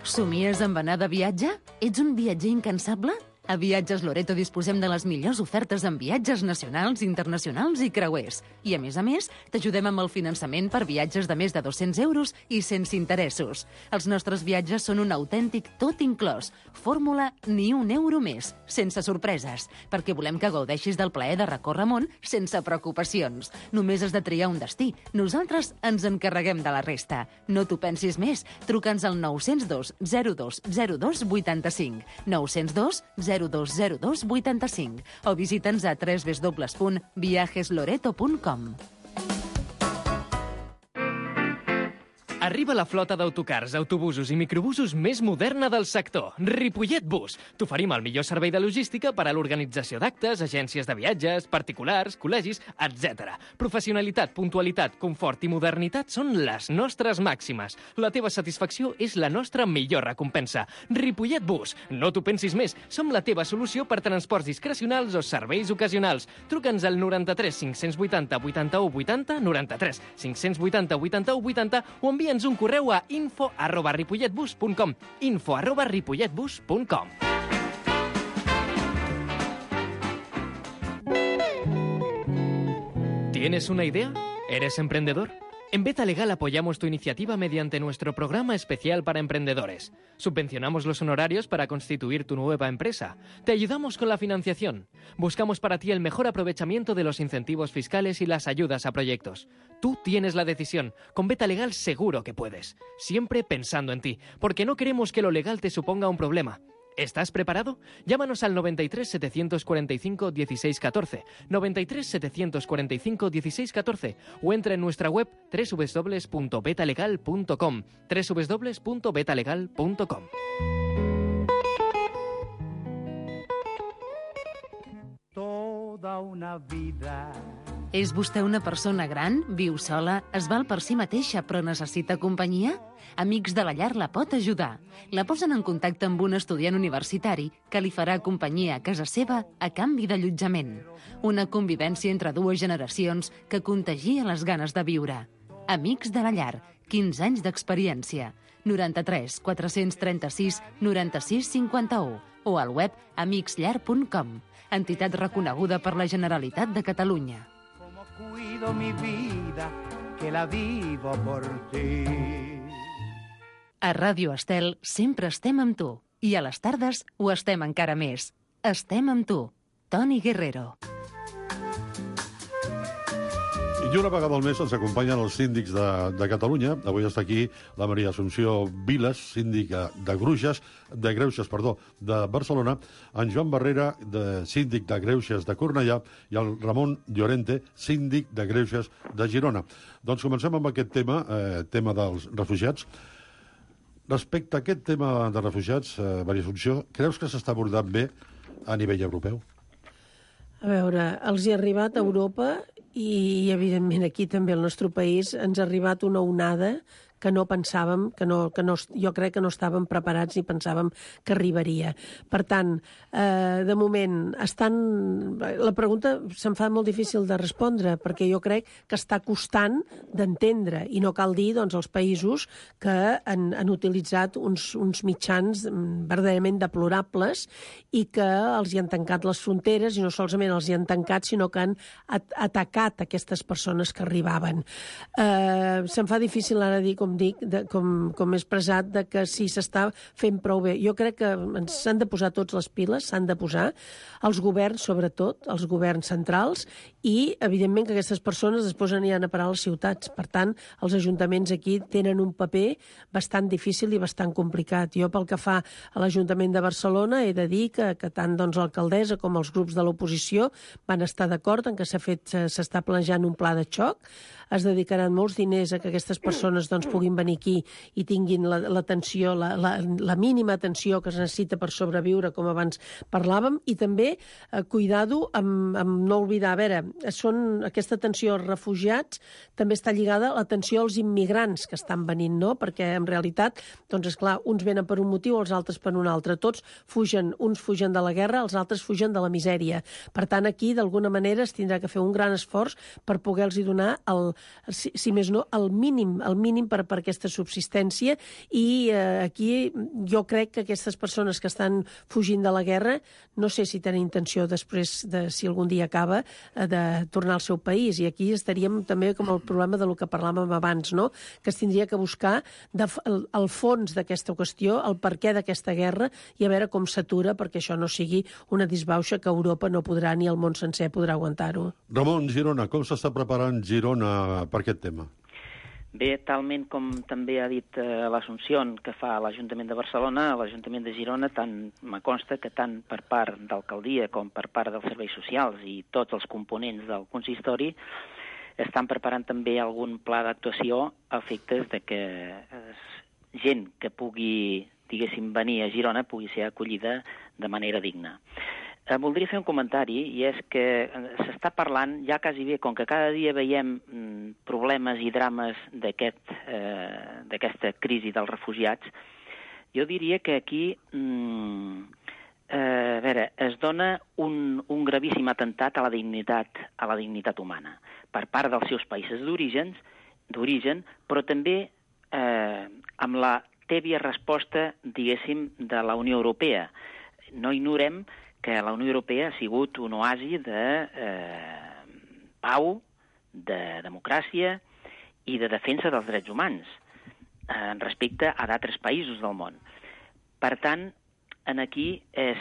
Somies amb anar de viatge? Ets un viatger incansable? A Viatges Loreto disposem de les millors ofertes en viatges nacionals, internacionals i creuers. I, a més, t'ajudem amb el finançament per viatges de més de 200 euros i sense interessos. Els nostres viatges són un autèntic tot inclòs. Fórmula ni un euro més, sense sorpreses, perquè volem que gaudeixis del plaer de recórrer món sense preocupacions. Només has de triar un destí. Nosaltres ens encarreguem de la resta. No t'ho pensis més. Truca'ns al 902 02 02 85. 902 0202 85 o visita'ns a www.viajesloreto.com. Arriba la flota d'autocars, autobusos i microbusos més moderna del sector, Ripollet Bus. T'oferim el millor servei de logística per a l'organització d'actes, agències de viatges, particulars, col·legis, etc. Professionalitat, puntualitat, confort i modernitat són les nostres màximes. La teva satisfacció és la nostra millor recompensa. Ripollet Bus. No t'ho pensis més. Som la teva solució per transports discrecionals o serveis ocasionals. Truca'ns al 93 580 81 80, 93 580 81 80 o envia'ns un correu a info@ripolletbus.com, info@ripolletbus.com. ¿Tienes una idea? ¿Eres emprendedor? En Beta Legal apoyamos tu iniciativa mediante nuestro programa especial para emprendedores. Subvencionamos los honorarios para constituir tu nueva empresa. Te ayudamos con la financiación. Buscamos para ti el mejor aprovechamiento de los incentivos fiscales y las ayudas a proyectos. Tú tienes la decisión. Con Beta Legal seguro que puedes. Siempre pensando en ti, porque no queremos que lo legal te suponga un problema. ¿Estás preparado? Llámanos al 93 745 16 14, 93 745 16 14 o entra en nuestra web www.betalegal.com, www.betalegal.com. Toda una vida. És vostè una persona gran, viu sola, es val per si mateixa però necessita companyia? Amics de la Llar la pot ajudar. La posen en contacte amb un estudiant universitari que li farà companyia a casa seva a canvi d'allotjament. Una convivència entre dues generacions que contagia les ganes de viure. Amics de la Llar, 15 anys d'experiència. 93 436 96 51 o al web amicsllar.com. Entitat reconeguda per la Generalitat de Catalunya. Cuido mi vida, que la vivo por ti. A Ràdio Estel sempre estem amb tu. I a les tardes ho estem encara més. Estem amb tu. Toni Guerrero. I una vegada al mes ens acompanyen els síndics de Catalunya. Avui està aquí la Maria Assumpció Viles, síndica de Greuges, de Barcelona, en Joan Barrera, síndic de Greuges de Cornellà, i el Ramon Llorente, síndic de Greuges de Girona. Doncs comencem amb aquest tema dels refugiats. Respecte a aquest tema de refugiats, Maria Assumpció, creus que s'està abordant bé a nivell europeu? A veure, els hi ha arribat a Europa i, evidentment, aquí també al nostre país ens ha arribat una onada que no pensàvem, jo crec que no estàvem preparats ni pensàvem que arribaria. Per tant, de moment, la pregunta se'm fa molt difícil de respondre, perquè jo crec que està costant d'entendre, i no cal dir, doncs, els països que han utilitzat uns mitjans verdaderament deplorables i que els hi han tancat les fronteres, i no solament els hi han tancat, sinó que han atacat aquestes persones que arribaven. Se'm fa difícil ara dir, com he expressat, que si s'està fent prou bé. Jo crec que s'han de posar tots les piles, s'han de posar, els governs, sobretot, els governs centrals, i, evidentment, que aquestes persones després aniran a parar a les ciutats. Per tant, els ajuntaments aquí tenen un paper bastant difícil i bastant complicat. Jo, pel que fa a l'Ajuntament de Barcelona, he de dir que tant l'alcaldessa com els grups de l'oposició van estar d'acord en que s'està planejant un pla de xoc. Es dedicaran molts diners a que aquestes persones puguin venir aquí i tinguin l'atenció, la mínima atenció que es necessita per sobreviure, com abans parlàvem, i també cuidado amb no oblidar, a veure, aquesta atenció als refugiats també està lligada a l'atenció als immigrants que estan venint, no? Perquè en realitat, doncs esclar, uns venen per un motiu, els altres per un altre. Tots fugen, uns fugen de la guerra, els altres fugen de la misèria. Per tant, aquí, d'alguna manera, es tindrà que fer un gran esforç per poder-los donar si més no, el mínim per aquesta subsistència, i aquí jo crec que aquestes persones que estan fugint de la guerra, no sé si tenen intenció després, si algun dia acaba, de tornar al seu país, i aquí estaríem també com el problema del que parlàvem abans, no? Que es tindria que buscar el fons d'aquesta qüestió, el perquè d'aquesta guerra, i a veure com s'atura perquè això no sigui una disbauxa que Europa no podrà, ni el món sencer podrà aguantar-ho. Ramon, Girona, com s'està preparant Girona per aquest tema? Bé, talment com també ha dit l'Assumpció que fa l'Ajuntament de Barcelona, l'Ajuntament de Girona, me consta que tant per part d'alcaldia com per part dels serveis socials i tots els components del consistori estan preparant també algun pla d'actuació a efectes de que gent que pugui, diguéssim, venir a Girona pugui ser acollida de manera digna. Voldria fer un comentari, i és que s'està parlant ja quasi bé, com que cada dia veiem problemes i drames d'aquesta crisi dels refugiats, jo diria que aquí es dona un gravíssim atemptat a la dignitat humana per part dels seus països d'origen, però també amb la tèbia resposta, diguéssim, de la Unió Europea. No ignorem que la Unió Europea ha sigut un oasi de pau, de democràcia i de defensa dels drets humans respecte a d'altres països del món. Per tant, aquí és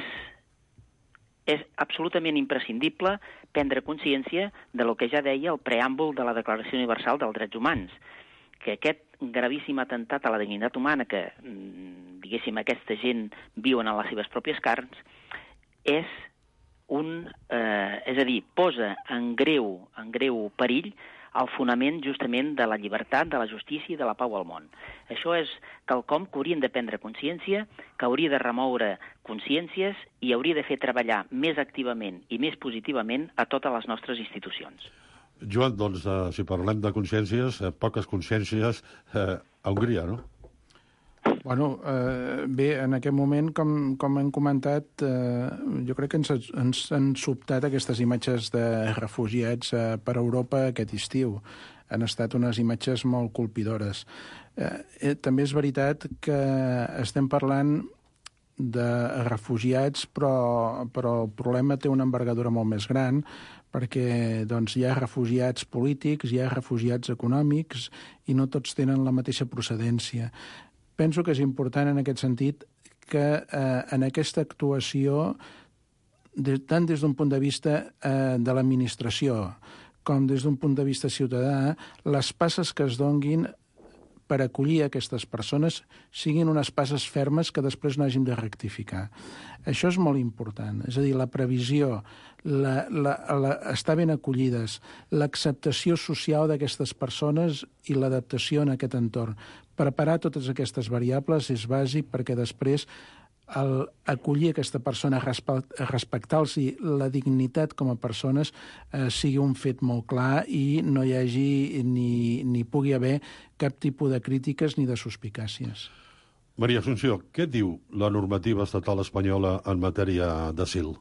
absolutament imprescindible prendre consciència de lo que ja deia el preàmbul de la Declaració Universal dels Drets Humans, que aquest gravíssim atemptat a la dignitat humana que, diguéssim, aquesta gent viuen en les seves pròpies carns, és a dir, posa en greu perill el fonament justament de la llibertat, de la justícia i de la pau al món. Això és quelcom que haurien de prendre consciència, que hauria de remoure consciències i hauria de fer treballar més activament i més positivament a totes les nostres institucions. Joan, doncs, si parlem de consciències, poques consciències a Hongria, no? Bueno, bé, en aquest moment, com hem comentat, jo crec que ens han sobtat aquestes imatges de refugiats per Europa aquest estiu. Han estat unes imatges molt colpidores. També és veritat que estem parlant de refugiats, però el problema té una envergadura molt més gran, perquè doncs, hi ha refugiats polítics, hi ha refugiats econòmics, i no tots tenen la mateixa procedència. Penso que és important en aquest sentit que en aquesta actuació, tant des d'un punt de vista de l'administració com des d'un punt de vista ciutadà, les passes que es donguin per acollir aquestes persones siguin unes passes fermes que després no hàgim de rectificar. Això és molt important. És a dir, la previsió, estar ben acollides, l'acceptació social d'aquestes persones i l'adaptació en aquest entorn. Preparar totes aquestes variables és bàsic perquè després acollir aquesta persona, respectar-los la dignitat com a persones sigui un fet molt clar i no hi hagi ni pugui haver cap tipus de crítiques ni de suspicàcies. Maria Assumpció, què diu la normativa estatal espanyola en matèria d'asil?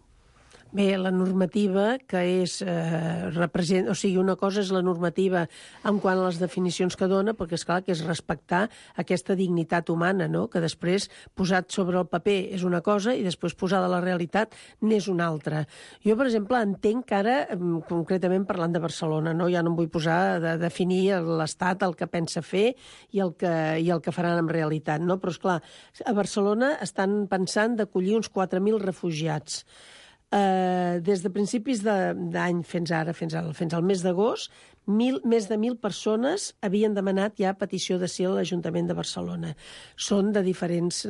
Bé, la normativa que és... o sigui, una cosa és la normativa en quant a les definicions que dona, perquè és clar que és respectar aquesta dignitat humana, no? Que després, posat sobre el paper, és una cosa i després posada a la realitat n'és una altra. Jo, per exemple, entenc que ara, concretament parlant de Barcelona, no? Ja no em vull posar a definir l'Estat, el que pensa fer i el que faran en realitat, no? Però, és clar, a Barcelona estan pensant d'acollir uns 4.000 refugiats. Des de principis d'any fins al mes d'agost, més de 1.000 persones havien demanat ja petició d'asil a l'Ajuntament de Barcelona. Són de diferents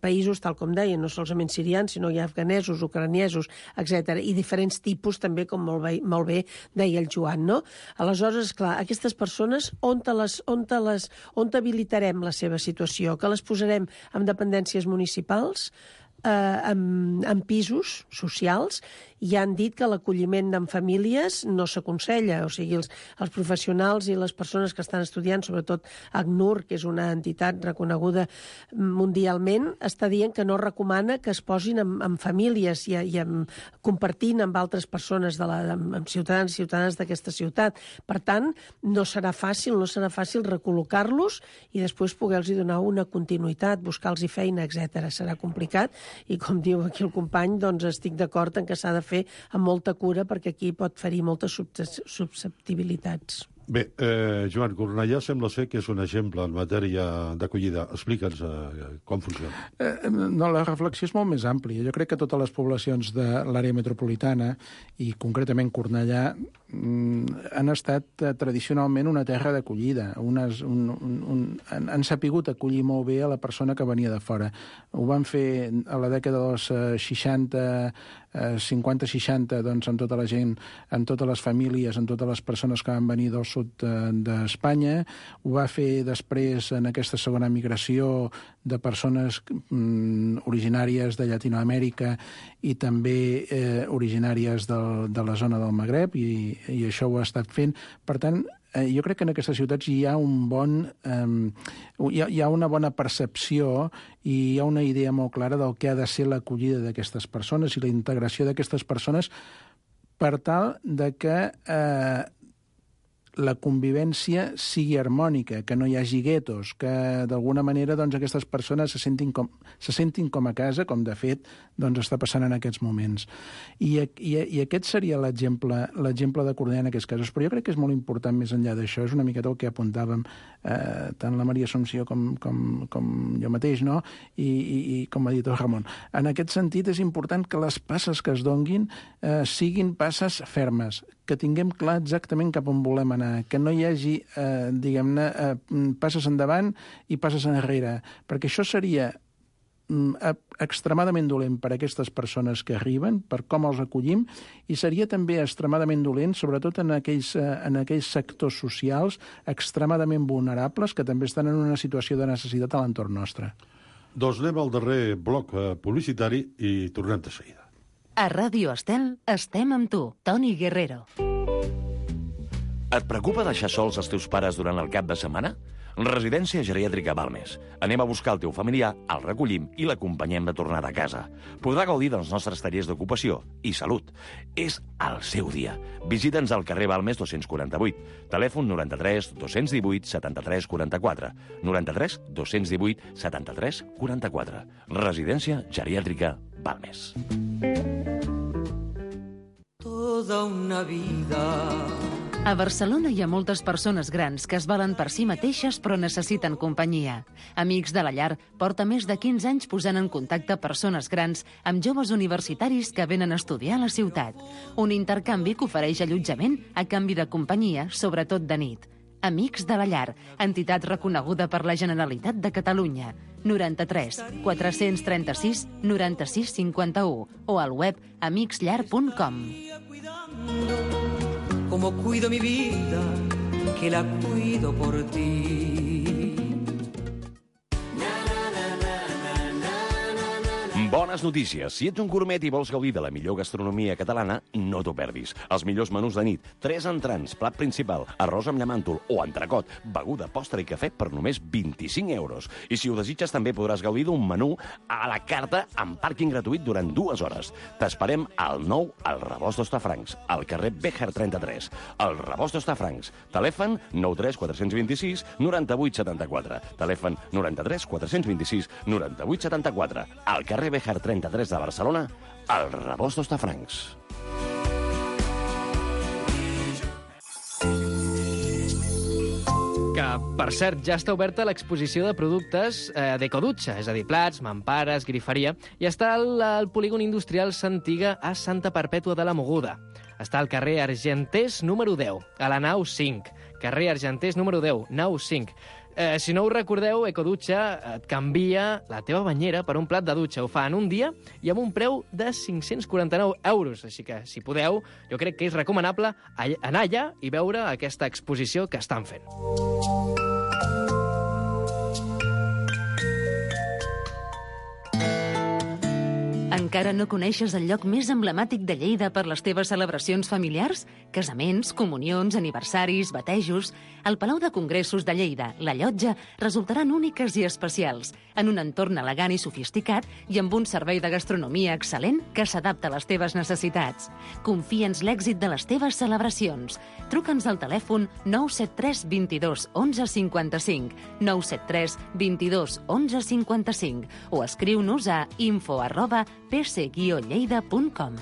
països, tal com deien, no solament sirians, sinó hi ha afganesos, ucraniesos, etc. I diferents tipus, també, com molt bé deia el Joan, no? Aleshores, clar, aquestes persones, on habilitarem la seva situació? Que les posarem en dependències municipals, en pisos socials, i han dit que l'acolliment en famílies no s'aconsella. O sigui, els professionals i les persones que estan estudiant, sobretot ACNUR, que és una entitat reconeguda mundialment, està dient que no recomana que es posin en famílies i compartint amb altres persones, amb ciutadans i ciutadanes d'aquesta ciutat. Per tant, no serà fàcil recol·locar-los i després poder-los donar una continuïtat, buscar-los feina, etc. Serà complicat i, com diu aquí el company, doncs estic d'acord en que s'ha de fer amb molta cura perquè aquí pot ferir moltes susceptibilitats. Bé, Joan, Cornellà sembla ser que és un exemple en matèria d'acollida. Explica'ns com funciona. No, la reflexió és molt més àmplia. Jo crec que totes les poblacions de l'àrea metropolitana, i concretament Cornellà, han estat tradicionalment una terra d'acollida. Han sapigut acollir molt bé a la persona que venia de fora. Ho van fer a la dècada dels 50-60, doncs, amb tota la gent, amb totes les famílies, amb totes les persones que van venir del sud d'Espanya. Ho va fer després en aquesta segona migració de persones originàries de Llatinoamèrica i també originàries de la zona del Magreb, i això ho ha estat fent. Per tant, jo crec que en aquestes ciutats hi ha una bona percepció i hi ha una idea molt clara del que ha de ser l'acollida d'aquestes persones i la integració d'aquestes persones per tal de que la convivència sigui harmònica, que no hi hagi guetos, que d'alguna manera doncs, aquestes persones se sentin com a casa, com de fet doncs, està passant en aquests moments. I aquest seria l'exemple de Cornellà en aquests casos. Però jo crec que és molt important, més enllà d'això, és una miqueta el que apuntàvem tant la Maria Assumpció com jo mateix, no? I com ha dit el Ramon. En aquest sentit, és important que les passes que es donguin siguin passes fermes, que tinguem clar exactament cap on volem anar, que no hi hagi, diguem-ne, passes endavant i passes enrere, perquè això seria extremadament dolent per a aquestes persones que arriben, per com els acollim, i seria també extremadament dolent, sobretot en aquells sectors socials extremadament vulnerables que també estan en una situació de necessitat a l'entorn nostre. Doncs anem al darrer bloc publicitari i tornem de seguida. A Ràdio Estel estem amb tu, Toni Guerrero. Et preocupa deixar sols els teus pares durant el cap de setmana? Residència geriàtrica Balmes. Anem a buscar el teu familiar, el recollim i l'acompanyem de tornada a casa. Podrà gaudir dels nostres tallers d'ocupació i salut. És el seu dia. Visita'ns al carrer Balmes 248. Telèfon 93 218 73 44. 93 218 73 44. Residència geriàtrica Balmes. Toda una vida. A Barcelona hi ha moltes persones grans que es valen per si mateixes però necessiten companyia. Amics de la Llar porta més de 15 anys posant en contacte persones grans amb joves universitaris que venen a estudiar a la ciutat. Un intercanvi que ofereix allotjament a canvi de companyia, sobretot de nit. Amics de la Llar, entitat reconeguda per la Generalitat de Catalunya. 93 436 96 51 o al web amicsllar.com. Como cuido mi vida, que la cuido por ti. Bones notícies. Si ets un gourmet i vols gaudir de la millor gastronomia catalana, no t'ho perdis. Els millors menús de nit, 3 entrants, plat principal, arròs amb llamàntol o entrecot, beguda, postre i cafè per només 25 euros. I si ho desitges, també podràs gaudir d'un menú a la carta amb pàrquing gratuït durant 2 hores. T'esperem al nou al Rebost d'Hostafrancs, al carrer Béjar 33. El Rebost d'Hostafrancs. Telèfon 93 426 98 74. Telèfon 93 426 98 74. Al carrer Béjar 33 de Barcelona, al Rebost d'Hostafrancs. Que, per cert, ja està oberta l'exposició de productes d'Ecodutxa, és a dir, plats, mampares, griferia, i està al polígon industrial Santiga a Santa Perpètua de la Mogoda. Està al carrer Argenters número 10, a la nau 5. Carrer Argenters número 10, nau 5. Si no ho recordeu, Ecodutxa et canvia la teva banyera per un plat de dutxa. Ho fa en un dia i amb un preu de 549 euros. Així que, si podeu, jo crec que és recomanable anar allà i veure aquesta exposició que estan fent. Encara no coneixes el lloc més emblemàtic de Lleida per les teves celebracions familiars? Casaments, comunions, aniversaris, batejos... El Palau de Congressos de Lleida, la Llotja, resultaran úniques i especials, en un entorn elegant i sofisticat i amb un servei de gastronomia excel·lent que s'adapta a les teves necessitats. Confia'ns l'èxit de les teves celebracions. Truca'ns al telèfon 973 22 11 55, 973 22 11 55 o escriu-nos a info@pc-lleida.com.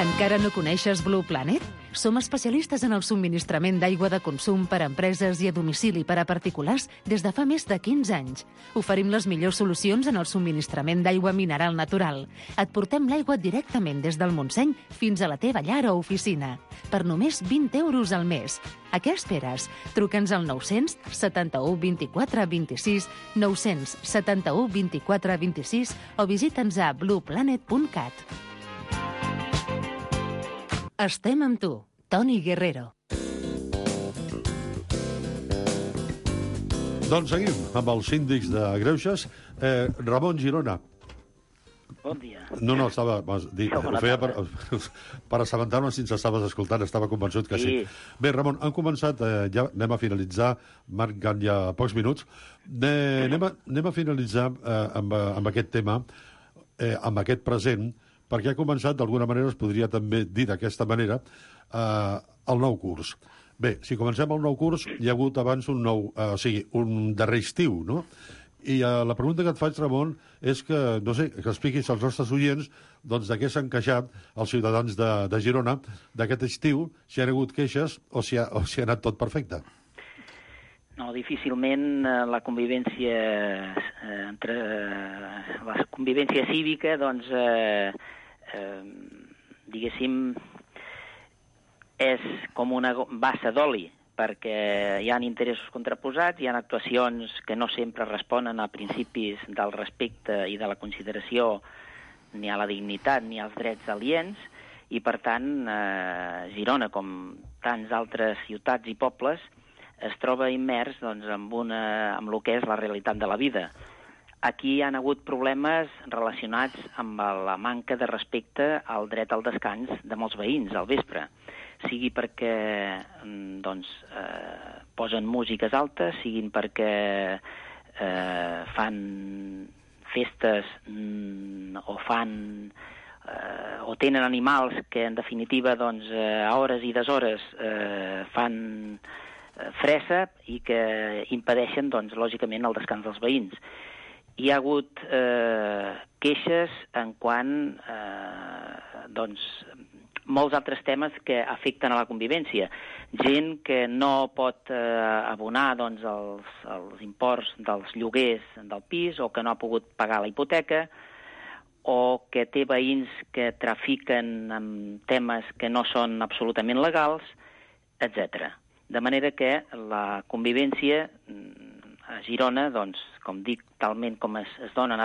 Encara no coneixes Blue Planet? Som especialistes en el subministrament d'aigua de consum per a empreses i a domicili per a particulars des de fa més de 15 anys. Oferim les millors solucions en el subministrament d'aigua mineral natural. Et portem l'aigua directament des del Montseny fins a la teva llar o oficina. Per només 20 euros al mes. A què esperes? Truca'ns al 900 71 24 26, 900 71 24 26 o visita'ns a blueplanet.cat. Estem amb tu, Toni Guerrero. Doncs seguim amb els síndics de Greuges. Ramon Girona. Bon dia. No, estava... Ho feia per assabentar-me si ens estaves escoltant. Estava convençut que sí. Bé, Ramon, han començat... Ja anem a finalitzar. Marquen ja pocs minuts. Anem a finalitzar amb aquest tema, amb aquest present, perquè ha començat, d'alguna manera, es podria també dir d'aquesta manera, el nou curs. Bé, si comencem el nou curs, hi ha hagut abans un darrer estiu, no? I la pregunta que et faig, Ramon, és que, no sé, que expliquis als nostres oients doncs, de què s'han queixat els ciutadans de Girona d'aquest estiu, si han hagut queixes o si ha anat tot perfecte. No, difícilment la convivència cívica, doncs, diguéssim, és com una bassa d'oli, perquè hi ha interessos contraposats, hi ha actuacions que no sempre responen a principis del respecte i de la consideració ni a la dignitat ni als drets aliens, i per tant Girona, com tants altres ciutats i pobles, es troba immers doncs, amb el que és la realitat de la vida. aquí hi ha hagut problemes relacionats amb la manca de respecte al dret al descans de molts veïns al vespre. Sigui perquè posen músiques altes, siguin perquè fan festes o tenen animals que, en definitiva, a hores i deshores fan fressa i que impedeixen, lògicament, el descans dels veïns. Hi ha hagut queixes en quant molts altres temes que afecten a la convivència. Gent que no pot abonar els imports dels lloguers del pis o que no ha pogut pagar la hipoteca o que té veïns que trafiquen amb temes que no són absolutament legals, etc. De manera que la convivència a Girona, com dic, talment com es dona en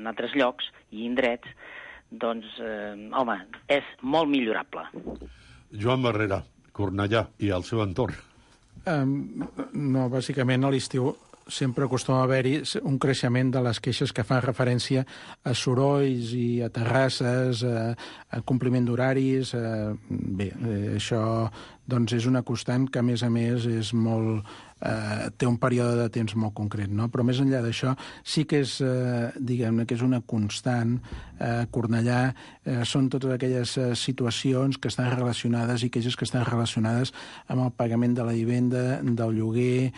altres llocs i indrets, és molt millorable. Joan Barrera, Cornellà i el seu entorn. No, bàsicament a l'estiu sempre acostuma a haver-hi un creixement de les queixes que fan referència a sorolls i a terrasses, a compliment d'horaris. Bé, això és una constant que, a més, és molt... té un període de temps molt concret, no? Però més enllà d'això, sí que és, diguem-ne, que és una constant. Cornellà són totes aquelles situacions que estan relacionades i queixes que estan relacionades amb el pagament de la vivenda, del lloguer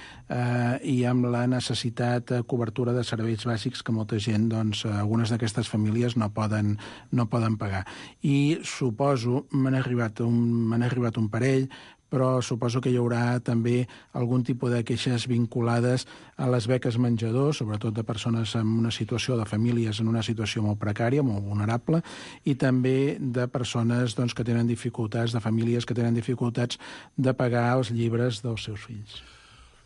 i amb la necessitat de cobertura de serveis bàsics que molta gent, algunes d'aquestes famílies no poden pagar. I suposo, m'han arribat un parell, però suposo que hi haurà també algun tipus de queixes vinculades a les beques menjador, sobretot de persones en una situació, de famílies en una situació molt precària, molt vulnerable, i també de persones que tenen dificultats, de famílies que tenen dificultats de pagar els llibres dels seus fills.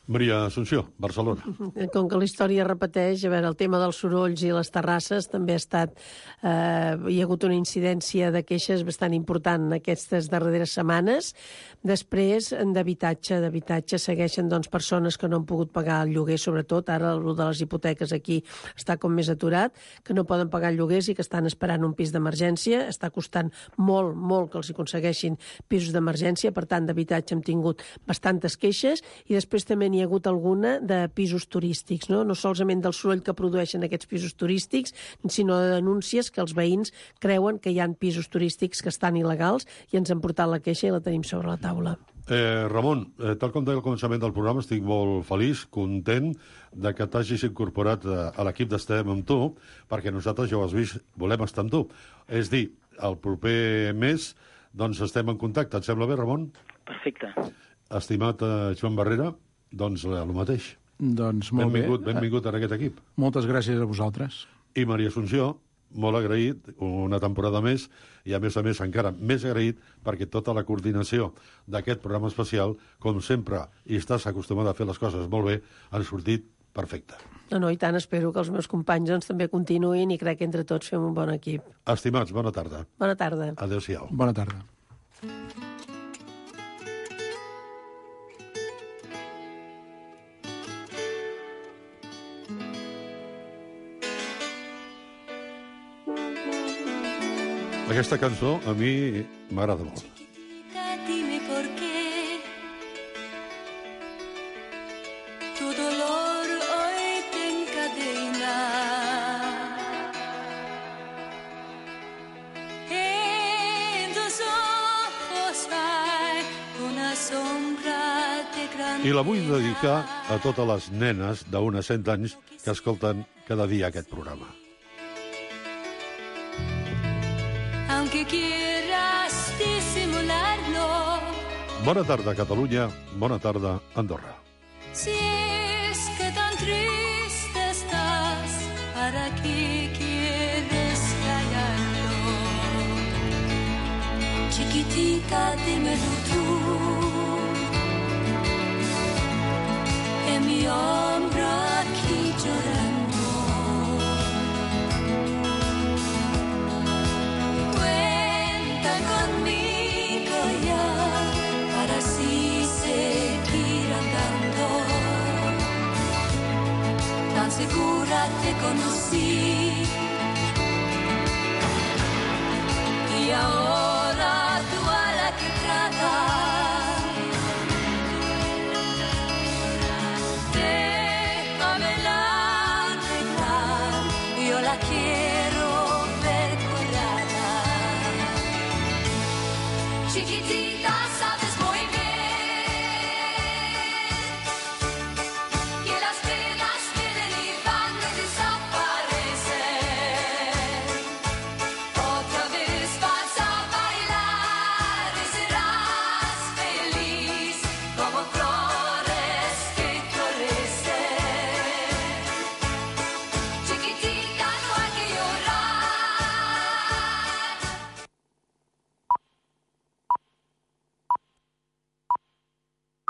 Maria Assumpció, Barcelona. Com que la història repeteix, a veure, el tema dels sorolls i les terrasses també ha estat... hi ha hagut una incidència de queixes bastant important aquestes darreres setmanes. Després, d'habitatge segueixen persones que no han pogut pagar el lloguer, sobretot. Ara el de les hipoteques aquí està com més aturat, que no poden pagar el lloguers i que estan esperant un pis d'emergència. Està costant molt, molt que els aconsegueixin pisos d'emergència. Per tant, d'habitatge hem tingut bastantes queixes. I després també n'hi ha hagut alguna de pisos turístics, no solament del soroll que produeixen aquests pisos turístics, sinó de denúncies que els veïns creuen que hi ha pisos turístics que estan il·legals i ens han portat la queixa i la tenim sobre la taula. Ramon, tal com deia al començament del programa, estic molt feliç, content de que t'hagis incorporat a l'equip d'Estem amb tu, perquè nosaltres, ja ho has vist, volem estar amb tu. És dir, el proper mes estem en contacte. Et sembla bé, Ramon? Perfecte. Estimat Joan Barrera, el mateix. Molt benvingut en aquest equip. Moltes gràcies a vosaltres. I Maria Assumpció, molt agraït, una temporada més, i a més encara més agraït perquè tota la coordinació d'aquest programa especial, com sempre, i estàs acostumada a fer les coses molt bé, han sortit perfecte. No, i tant, espero que els meus companys també continuïn i crec que entre tots fem un bon equip. Estimats, bona tarda. Bona tarda. Adéu-siau. Bona tarda. Aquesta cançó a mi m'agrada molt. Dime por qué tu dolor hoy te encadena. En tus ojos hay una sombra de gran... I la vull dedicar a totes les nenes d'unes 100 anys que escolten cada dia aquest programa. Aunque quieras disimularlo. Bona tarda, Catalunya. Bona tarda, Andorra. Si es que tan triste estás, ¿para qué quieres callarlo? Chiquitita, dímelo tú. En mi hombro aquí llorando. Segura te conozco. así. Y ahora tú a la que tratas, déjamela arreglar, yo la quiero ver curada. Chiquitita.